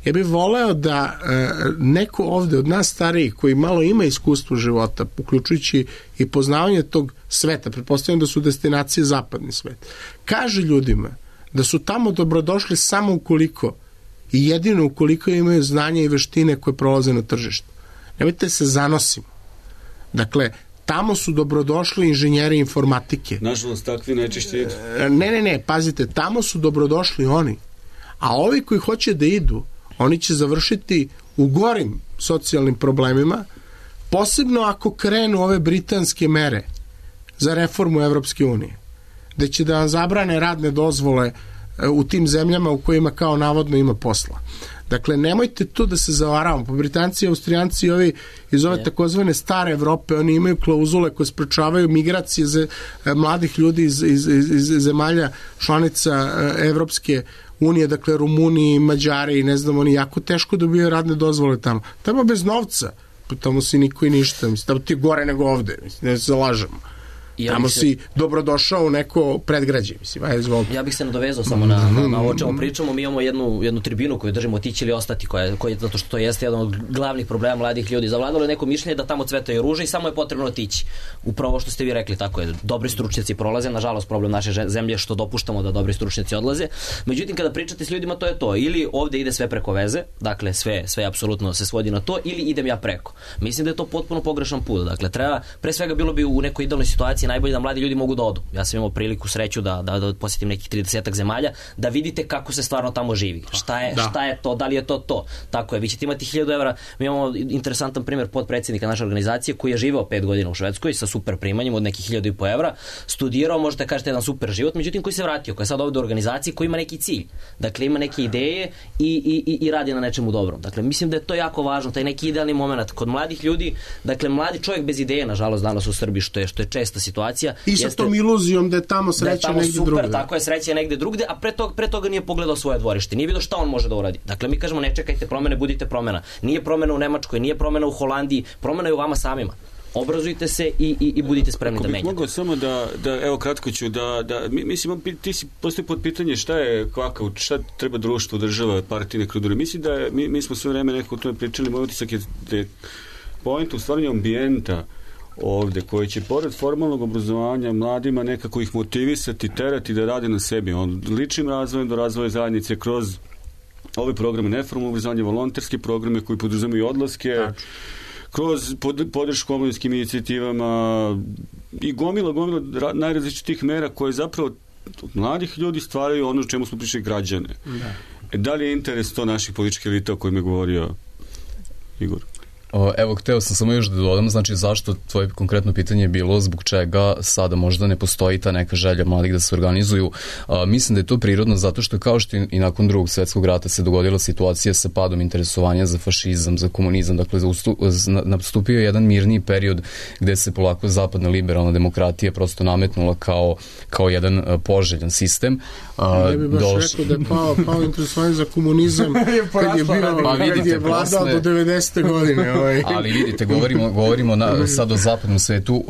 Ja bih voleo da e, neko ovde od nas starijih koji malo ima iskustvo života, uključujući i poznavanje tog sveta, pretpostavljam da su destinacije zapadni svet, kaže ljudima da su tamo dobrodošli samo ukoliko i jedino ukoliko imaju znanje i veštine koje prolaze na tržištu. Nemojte se zanosimo. Dakle, tamo su dobrodošli inženjeri informatike. Nažalost, takvi najčešće idu. Ne, ne, ne, pazite, tamo su dobrodošli oni. A ovi koji hoće da idu, oni će završiti u gorim socijalnim problemima, posebno ako krenu ove britanske mere za reformu Evropske unije, gde će da vam zabrane radne dozvole u tim zemljama u kojima kao navodno ima posla. Dakle, nemojte tu da se zavaravamo. Po Britanci i Austrijanci i ovi iz ove takozvane stare Evrope, oni imaju klauzule koje sprečavaju migracije za mladih ljudi iz, iz, iz, iz zemalja članica Evropske unije, dakle Rumuniji, Mađari i ne znam, oni jako teško dobijaju radne dozvole tamo. Tamo bez novca, tamo si niko i ništa, mislim, tamo ti je gore nego ovde, mislim, ne se lažemo. Ja tamo se... si dobrodošao u neko predgrađe, mislim, ajde izvolite. Ja bih se nadovezao samo na, na, na ovo čemu pričamo. Mi imamo jednu, jednu tribinu koju držimo otići ili ostati, koja, koja, zato što to jeste jedan od glavnih problema mladih ljudi. Zavladalo je neko mišljenje da tamo cvetaju ruže i samo je potrebno otići. Upravo što ste vi rekli, tako je. Dobri stručnjaci prolaze, nažalost problem naše zemlje je što dopuštamo da dobri stručnjaci odlaze. Međutim, kada pričate s ljudima, to je to. Ili ovde ide sve preko veze, dakle sve, sve apsolutno se svodi na to, ili idem ja preko. Mislim da je to potpuno pogrešan put. Dakle, treba, pre svega bilo bi u nekoj idealnoj situaciji najbolje da mladi ljudi mogu da odu. Ja sam imao priliku, sreću da, da, da posjetim nekih tridesetak zemalja, da vidite kako se stvarno tamo živi. Šta je, šta je to, da li je to to. Tako je, vi ćete imati hiljadu evra. Mi imamo interesantan primjer podpredsjednika naše organizacije koji je živeo pet godina u Švedskoj sa super primanjem od nekih hiljadu i po evra, studirao, možete kažete jedan super život, međutim koji se vratio, koji je sad ovdje u organizaciji koji ima neki cilj. Dakle, ima neke ideje i, i, i radi na nečemu dobrom. Dakle, mislim da je to jako važno, taj neki idealni moment kod mladih ljudi. Dakle, mladi čovjek bez ideje, nažalost, danas u Srbiji, što je, što je česta situacija, situacija. I sa jeste, tom iluzijom da je tamo sreća da je tamo negde super, drugde. Tako je, sreća negde drugde, a pre toga, pre toga nije pogledao svoje dvorište, nije vidio šta on može da uradi. Dakle, mi kažemo ne čekajte promene, budite promena. Nije promena u Nemačkoj, nije promena u Holandiji, promena je u vama samima. Obrazujte se i, i, i budite spremni Ako da menjate. Mogu samo da, da, evo kratko ću, da, da mislim, ti si postoji pod pitanje šta je, kakav, šta treba društvo, država, partijne krudure. Mislim da je, mi, mi smo sve vreme nekako o tome pričali, moj utisak je da je point u stvaranju ambijenta ovde, koji će pored formalnog obrazovanja mladima nekako ih motivisati, terati da rade na sebi. On ličnim razvojem do razvoja zajednice kroz ove programe neformalnog obrazovanja, volonterske programe koji podrazumaju odlaske, znači, kroz pod, podršku omladinskim inicijativama i gomila, gomila najrazličitih mera koje zapravo od mladih ljudi stvaraju ono o čemu smo pričali, građane. Da. E, da li je interes to naših političkih elita o kojima je govorio Igor? Evo, hteo sam samo još da dodam, znači zašto tvoje konkretno pitanje je bilo zbog čega sada možda ne postoji ta neka želja mladih da se organizuju. A, mislim da je to prirodno zato što kao što i nakon drugog svjetskog rata se dogodila situacija sa padom interesovanja za fašizam, za komunizam, dakle nastupio je jedan mirniji period gde se polako zapadna liberalna demokratija prosto nametnula kao, kao jedan poželjan sistem. A, ne bi baš doš... rekao da je pao, pao interesovanje za komunizam kad je, bio, pa, vidite, kad je vladao posle... do devedesete godine. Ali vidite, govorimo, govorimo na, sad o zapadnom svetu uh,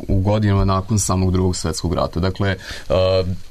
u godinama nakon samog drugog svetskog rata. Dakle, uh,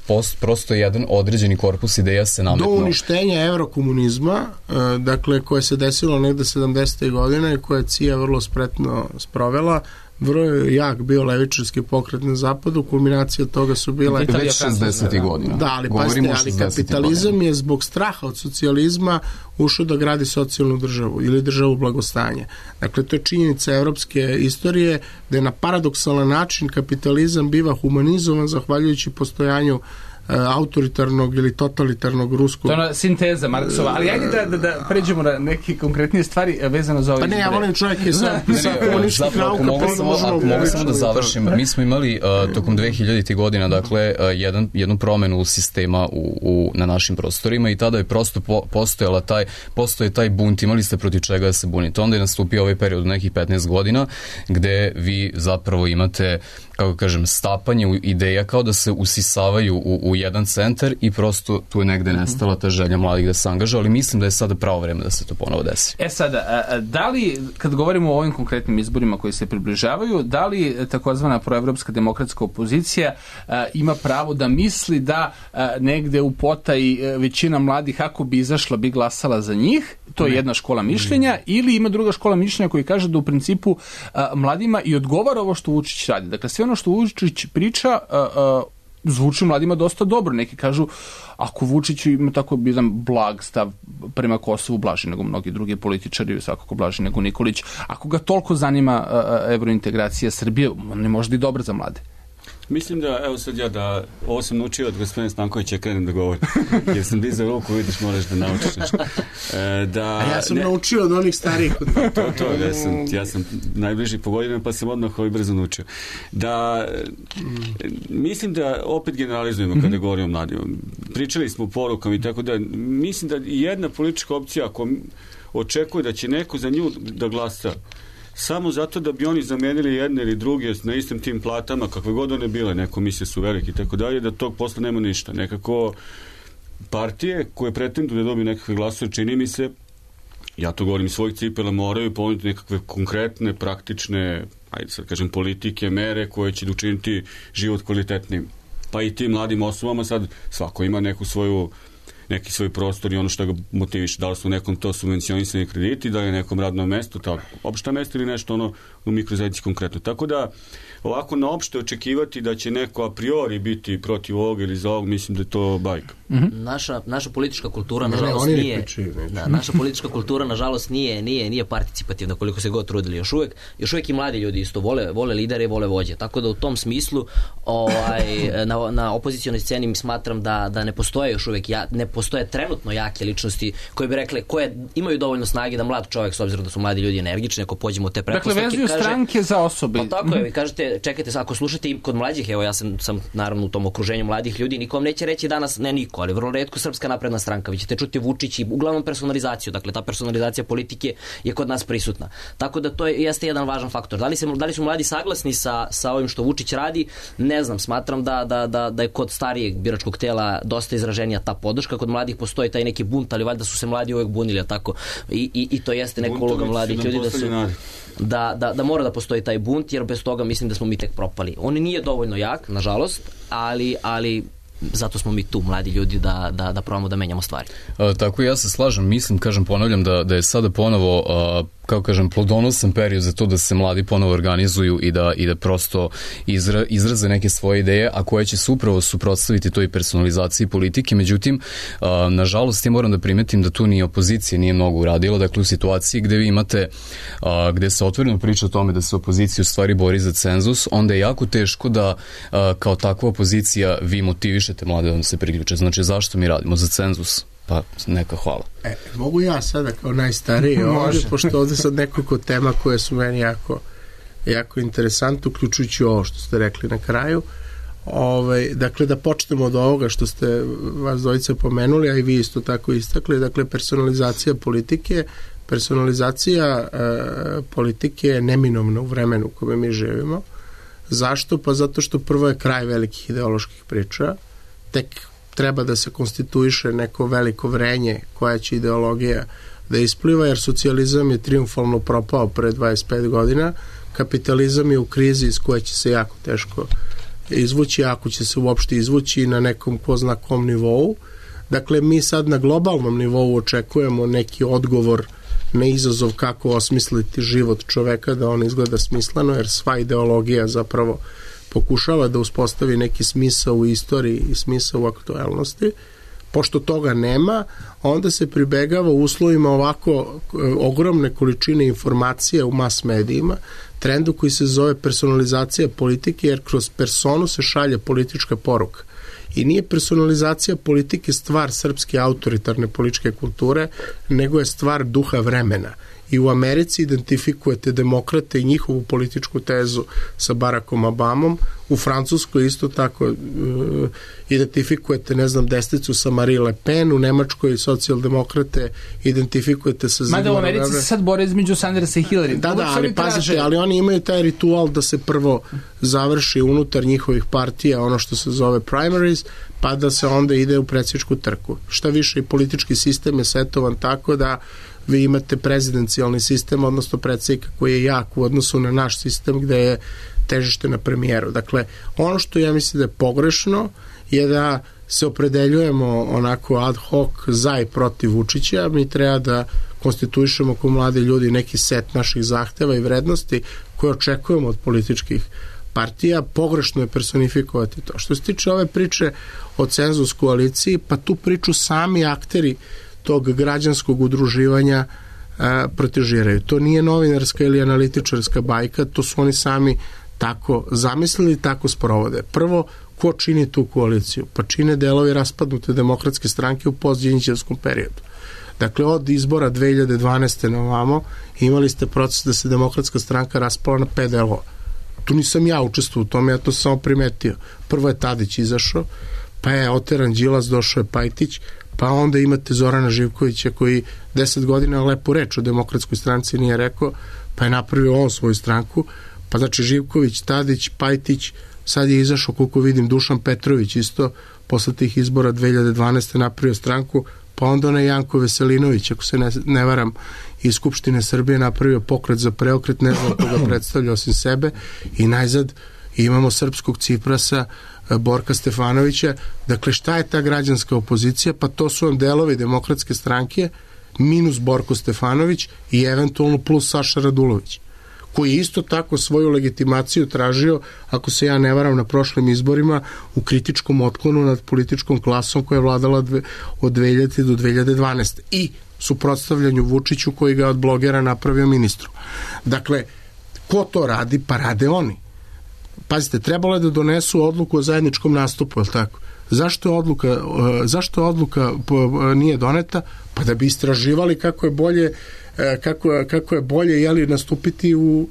post, prosto jedan određeni korpus ideja se nametnuo. Do uništenja evrokomunizma, uh, dakle, koje se desilo negde sedamdesetih godina i koje C I A vrlo spretno sprovela, vrlo je jak bio levičarski pokret na zapadu, kulminacija toga su bile već šezdesetih godina. Da, ali pazite, ali kapitalizam godina. Je zbog straha od socijalizma ušao da gradi socijalnu državu ili državu blagostanja. Dakle, to je činjenica evropske istorije da je na paradoksalan način kapitalizam biva humanizovan zahvaljujući postojanju autoritarnog ili totalitarnog ruskog... To je ona sinteza Marksova, ali ajde da, da, da pređemo na neke konkretnije stvari vezano za ove pa ne, izbore. Ja volim čovjek sa, sa komunističkih nauka. Mogu samo, mogu samo da završim. Mi smo imali uh, tokom dvehiljaditih godina, dakle, uh, jedan, jednu promenu sistema u, u, na našim prostorima i tada je prosto po, postojala taj, postoje taj bunt, imali ste protiv čega da se bunite. Onda je nastupio ovaj period nekih petnaest godina gde vi zapravo imate, kako kažem, stapanje u ideja kao da se usisavaju u, u jedan centar i prosto tu je negde nestala ta želja mladih da se angažuju, ali mislim da je sada pravo vreme da se to ponovo desi. E sada, da li, kad govorimo o ovim konkretnim izborima koji se približavaju, da li takozvana proevropska demokratska opozicija a, ima pravo da misli da a, negde u potaji većina mladih, ako bi izašla, bi glasala za njih? To je jedna škola mišljenja, ili ima druga škola mišljenja koji kaže da u principu a, mladima i odgovara ovo što Vučić radi. Dakle, sve ono što Vučić priča a, a, zvuči mladima dosta dobro. Neki kažu, ako Vučić ima tako jedan blag stav prema Kosovu, blaži nego mnogi drugi političari, svakako blaži nego Nikolić, ako ga toliko zanima a, a, evrointegracija Srbije, on ne može da i dobro za mlade. Mislim da, evo sad ja da, ovo sam naučio od gospodina Stankovića, krenem da govorim, jer sam dizao ruku, vidiš, moraš da naučiš nešto. E, da, A ja sam ne, naučio od onih starijih. To, to, ja sam, ja sam najbliži po godinama, pa sam odmah ovaj brzo naučio. Da, mislim da opet generalizujemo kada govorimo o mladima. Pričali smo porukama i tako da, mislim da jedna politička opcija, ako očekuje da će neko za nju da glasa, samo zato da bi oni zamenili jedne ili druge na istim tim platama, kakve god one bile, neko misle su veliki i tako dalje, da tog posla nema ništa. Nekako partije koje pretenduju da dobiju nekakve glasove, čini mi se, ja to govorim iz svojih cipela, moraju ponuditi nekakve konkretne, praktične, ajde sad kažem, politike, mere koje će učiniti život kvalitetnim. Pa i tim mladim osobama sad svako ima neku svoju neki svoj prostor i ono što ga motiviše, da li su nekom to subvencionisani krediti, da je nekom radno mesto, tako, opšta mesto ili nešto ono u mikrozajednici konkretno. Tako da, ovako na opšte očekivati da će neko a priori biti protiv ovog ili za ovog, mislim da je to bajka. Mm-hmm. Naša, naša politička kultura, nažalost, ne, ne, nije, da, naša politička kultura, nažalost, nije, nije, nije participativna, koliko se god trudili. Još uvek, još uvek i mladi ljudi isto vole, vole lidere i vole vođe. Tako da u tom smislu ovaj, na, na opozicijonoj sceni smatram da, da ne postoje još uvek, ja, ne postoje postoje trenutno jake ličnosti koje bi rekle, koje imaju dovoljno snage da mlad čovjek, s obzirom da su mladi ljudi energični, ako pođemo u te pretpostavke. Dakle, vezuju kaže, stranke za osobe. Pa tako je, vi kažete, čekajte, ako slušate i kod mlađih, evo ja sam, sam naravno u tom okruženju mladih ljudi, niko vam neće reći danas, ne niko, ali vrlo retko Srpska napredna stranka, vi ćete čuti Vučić i uglavnom personalizaciju, dakle ta personalizacija politike je kod nas prisutna. Tako da to je, jeste jedan važan faktor. Da li, se, da li su mladi saglasni sa, sa ovim što Vučić radi? Ne znam, smatram da, da, da, da je kod starijeg biračkog tela dosta izraženija ta podrška, kod mladih postoji taj neki bunt, ali valjda su se mladi uvek bunili, tako? I, i, i to jeste neka uloga mladih ljudi da su... Da, da, da mora da postoji taj bunt, jer bez toga mislim da smo mi tek propali. On nije dovoljno jak, nažalost, ali, ali zato smo mi tu, mladi ljudi, da, da, da probamo da menjamo stvari. A, tako ja se slažem, mislim, kažem, ponavljam da, da je sada ponovo, a, kao kažem, plodonosan period za to da se mladi ponovo organizuju i da, i da prosto izra, izraze neke svoje ideje, a koje će se upravo suprotstaviti toj personalizaciji politike. Međutim, a, nažalost, ja moram da primetim da tu ni opozicija nije mnogo uradila, dakle u situaciji gde vi imate, a, gde se otvoreno priča o tome da se opozicija u stvari bori za cenzus, onda je jako teško da a, kao takva opozicija vi motivišete mlade da se priključe. Znači, zašto mi radimo za cenzus? Pa neka hvala. E, mogu ja sada kao najstariji ovdje, pošto ovdje sad nekoliko tema koje su meni jako, jako interesantne, uključujući ovo što ste rekli na kraju. Ove, dakle, da počnemo od ovoga što ste vas dvojice pomenuli, a i vi isto tako istakli, dakle, personalizacija politike. Personalizacija e, politike je neminovna u vremenu u kome mi živimo. Zašto? Pa zato što prvo je kraj velikih ideoloških priča, tek treba da se konstituiše neko veliko vrenje koja će ideologija da ispliva, jer socijalizam je triumfalno propao pre dvadeset pet godina, kapitalizam je u krizi iz koje će se jako teško izvući, ako će se uopšte izvući na nekom ko zna kom nivou. Dakle, mi sad na globalnom nivou očekujemo neki odgovor na izazov kako osmisliti život čoveka da on izgleda smisleno, jer sva ideologija zapravo pokušava da uspostavi neki smisao u istoriji i smisao u aktuelnosti. Pošto toga nema, onda se pribegava u uslovima ovako ogromne količine informacija u mas medijima, trendu koji se zove personalizacija politike, jer kroz personu se šalje politička poruka. I nije personalizacija politike stvar srpske autoritarne političke kulture, nego je stvar duha vremena. I u Americi identifikujete demokrate i njihovu političku tezu sa Barackom Obamom, u Francuskoj isto tako uh, identifikujete, ne znam, desnicu sa Marie Le Pen, u Nemačkoj socijaldemokrate identifikujete sa Zigmarom. Mada u Americi se sad bore između Sandersa i Hillary. Da, da, ali pazite, ali oni imaju taj ritual da se prvo završi unutar njihovih partija ono što se zove primaries, pa da se onda ide u predsjedničku trku. Šta više, i politički sistem je setovan tako da vi imate prezidencijalni sistem, odnosno predsjednika koji je jak u odnosu na naš sistem gde je težište na premijeru. Dakle, ono što ja mislim da je pogrešno je da se opredeljujemo onako ad hoc za i protiv Vučića. Mi treba da konstituišemo kao mladi ljudi neki set naših zahteva i vrednosti koje očekujemo od političkih partija. Pogrešno je personifikovati to. Što se tiče ove priče o cenzus koaliciji, pa tu priču sami akteri tog građanskog udruživanja a, protežiraju. To nije novinarska ili analitičarska bajka, to su oni sami tako zamislili, tako sprovode. Prvo, ko čini tu koaliciju? Pa čine delovi raspadnute demokratske stranke u postđinđevskom periodu. Dakle, od izbora dve hiljade dvanaeste na ovamo imali ste proces da se demokratska stranka raspala na pet delova. Tu nisam ja učestvovao u tome, ja to sam samo primetio. Prvo je Tadić izašao, pa je oteran Đilas, došao je Pajtić, pa onda imate Zorana Živkovića koji deset godina lepo reč o demokratskoj stranci nije rekao, pa je napravio on svoju stranku, pa znači Živković, Tadić, Pajtić, sad je izašao, koliko vidim, Dušan Petrović isto, posle tih izbora dve hiljade dvanaeste napravio stranku, pa onda onaj Janko Veselinović, ako se ne, ne varam, iz Skupštine Srbije napravio pokret za preokret, ne znam koga predstavlja osim sebe, i najzad imamo srpskog Ciprasa, Borka Stefanovića. Dakle, šta je ta građanska opozicija? Pa to su vam delovi demokratske stranke minus Borko Stefanović i eventualno plus Saša Radulović, koji je isto tako svoju legitimaciju tražio, ako se ja ne varam, na prošlim izborima u kritičkom otklonu nad političkom klasom koja je vladala dve, od dve hiljadite do dve hiljade dvanaeste i suprotstavljanju Vučiću koji ga od blogera napravio ministru. Dakle, ko to radi? Pa rade oni. Pazite, trebalo je da donesu odluku o zajedničkom nastupu, je li tako? Zašto je odluka, zašto odluka nije doneta? Pa da bi istraživali kako je bolje, kako, kako je bolje jeli, nastupiti u,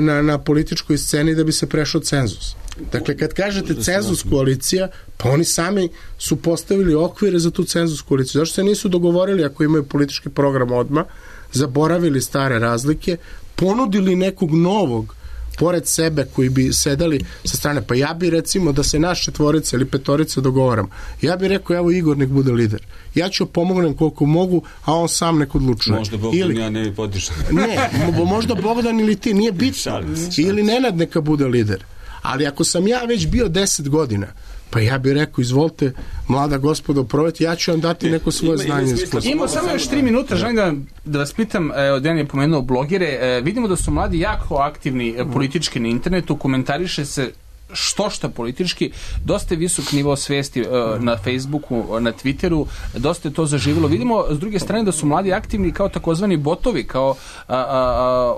na, na političkoj sceni da bi se prešao cenzus. Dakle, kad kažete cenzus koalicija, pa oni sami su postavili okvire za tu cenzus koaliciju. Zašto se nisu dogovorili ako imaju politički program odmah, zaboravili stare razlike, ponudili nekog novog pored sebe koji bi sedali sa strane. Pa ja bi recimo da se naš četvorica ili petorica dogovaram. Ja bi rekao, evo Igor nek bude lider. Ja ću pomognem koliko mogu, a on sam nek odlučuje. Možda Bogdan ili, ja ne bi podržao. Ne, možda Bogdan ili ti, nije bitno. Ili Nenad neka bude lider. Ali ako sam ja već bio deset godina, pa ja bih rekao, izvolite, mlada gospodo, proveti, ja ću vam dati neko svoje znanje. Imamo samo još tri minuta, želim da, da vas pitam, evo, Dejan je pomenuo blogere, e, vidimo da su mladi jako aktivni e, politički na internetu, komentariše se što šta politički, dosta je visok nivo svesti uh, na Facebooku, na Twitteru, dosta je to zaživjelo. Vidimo s druge strane da su mladi aktivni kao takozvani botovi, kao uh, uh,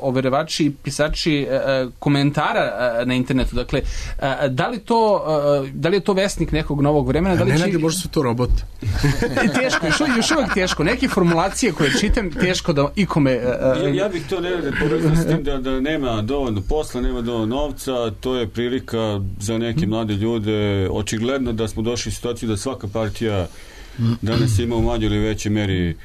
overevači i pisači uh, komentara uh, na internetu. Dakle, uh, da li to uh, da li je to vesnik nekog novog vremena? Da li ne, će... ne, možda su to roboti. Teško, još, još uvijek teško. Neke formulacije koje čitam, teško da ikome... Uh, ja, ja bih to ne povezao s tim da, da nema dovoljno posla, nema dovoljno novca, to je prilika za neke mlade ljude. Očigledno da smo došli u situaciju da svaka partija danas ima u manjoj ili većoj meri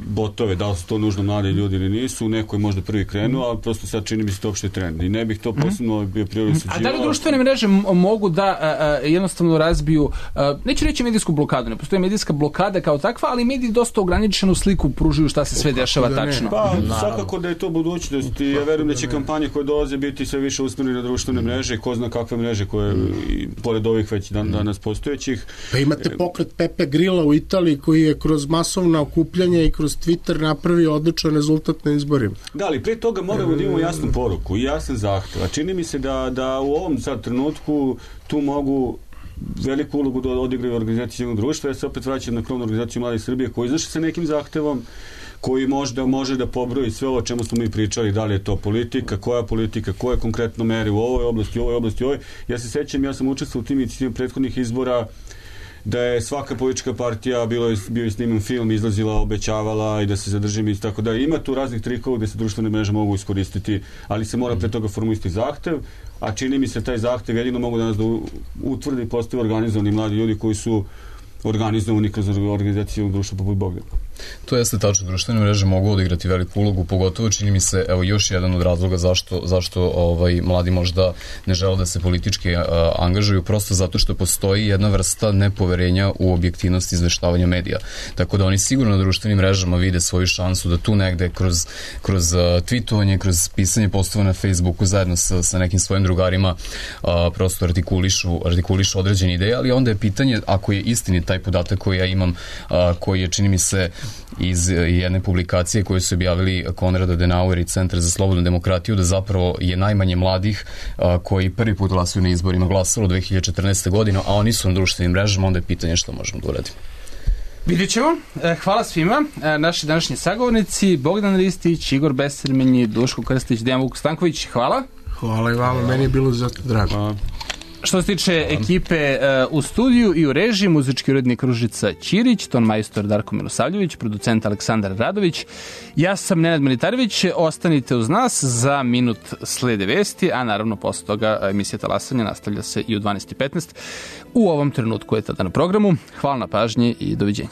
botove, da li su to nužno mladi ljudi ili nisu, neko je možda prvi krenuo, ali prosto sad čini mi se to opšte trend i ne bih to posebno bio prioriseđivao. A da li društvene mreže mogu da a, a, jednostavno razbiju, a, neću reći medijsku blokadu, ne postoji medijska blokada kao takva, ali mediji dosta ograničenu sliku pružuju šta se sve dešava da tačno. Pa, svakako da je to budućnost i ja verujem da će kampanje koje dolaze biti sve više usmjerene na društvene mreže, ko zna kakve mreže koje, i, pored ovih već dan, danas postojećih. Pa imate pokret Pepe Grilla u Italiji koji je kroz masovna okupljanja i kroz Twitter napravio odličan rezultat na izborima. Da, ali prije toga moramo da imamo jasnu poruku i jasan zahtev. A čini mi se da, da u ovom sad trenutku tu mogu veliku ulogu da odigraju organizacije civilnog društva. Ja se opet vraćam na krovnu organizaciju Mladih Srbije koji izašli sa nekim zahtevom koji možda može da pobroji sve ovo o čemu smo mi pričali, da li je to politika, koja politika, koje konkretno mere u ovoj oblasti, u ovoj oblasti, u ovoj. Ja se sećam, ja sam učestvovao u tim inicijativama prethodnih izbora da je svaka politička partija bilo je, bio je sniman film, izlazila, obećavala i da se zadržimo i tako da. Ima tu raznih trikova gde se društvene mreže mogu iskoristiti, ali se mora pre toga formulisati zahtev, a čini mi se taj zahtev jedino mogu danas da utvrdi i postave organizovani mladi ljudi koji su organizovani kroz organizaciju društva poput Bogdana. To jeste tačno, društvene mreže mogu odigrati veliku ulogu, pogotovo čini mi se, evo još jedan od razloga zašto, zašto ovaj, mladi možda ne žele da se politički a, angažuju, prosto zato što postoji jedna vrsta nepoverenja u objektivnost izveštavanja medija. Tako da oni sigurno na društvenim mrežama vide svoju šansu da tu negde kroz, kroz a, tweetovanje, kroz pisanje postova na Facebooku zajedno sa, sa nekim svojim drugarima a, prosto artikulišu, artikulišu određene ideje, ali onda je pitanje, ako je istini taj podatak koji ja imam, a, koji je čini mi se iz jedne publikacije koje su objavili Konrad Adenauer i Centar za slobodnu demokratiju, da zapravo je najmanje mladih a, koji prvi put glasuju na izborima glasalo dve hiljade četrnaeste. godine, a oni su na društvenim mrežama, onda je pitanje što možemo da uradimo. Vidjet ćemo. Hvala svima. Naši današnji sagovornici Bogdan Ristić, Igor Besermenji, Duško Krstić, Dejan Vuk Stanković. Hvala. Hvala i vama, meni je bilo zato drago. Hvala. Što se tiče ekipe uh, u studiju i u režiji, muzički urednik Ružica Ćirić, ton majstor Darko Milosavljević, producent Aleksandar Radović, ja sam Nenad Militarević, ostanite uz nas, za minut slede vesti, a naravno posle toga emisija Talasanja nastavlja se i u dvanaest i petnaest. U ovom trenutku je tada na programu. Hvala na pažnji i doviđenja.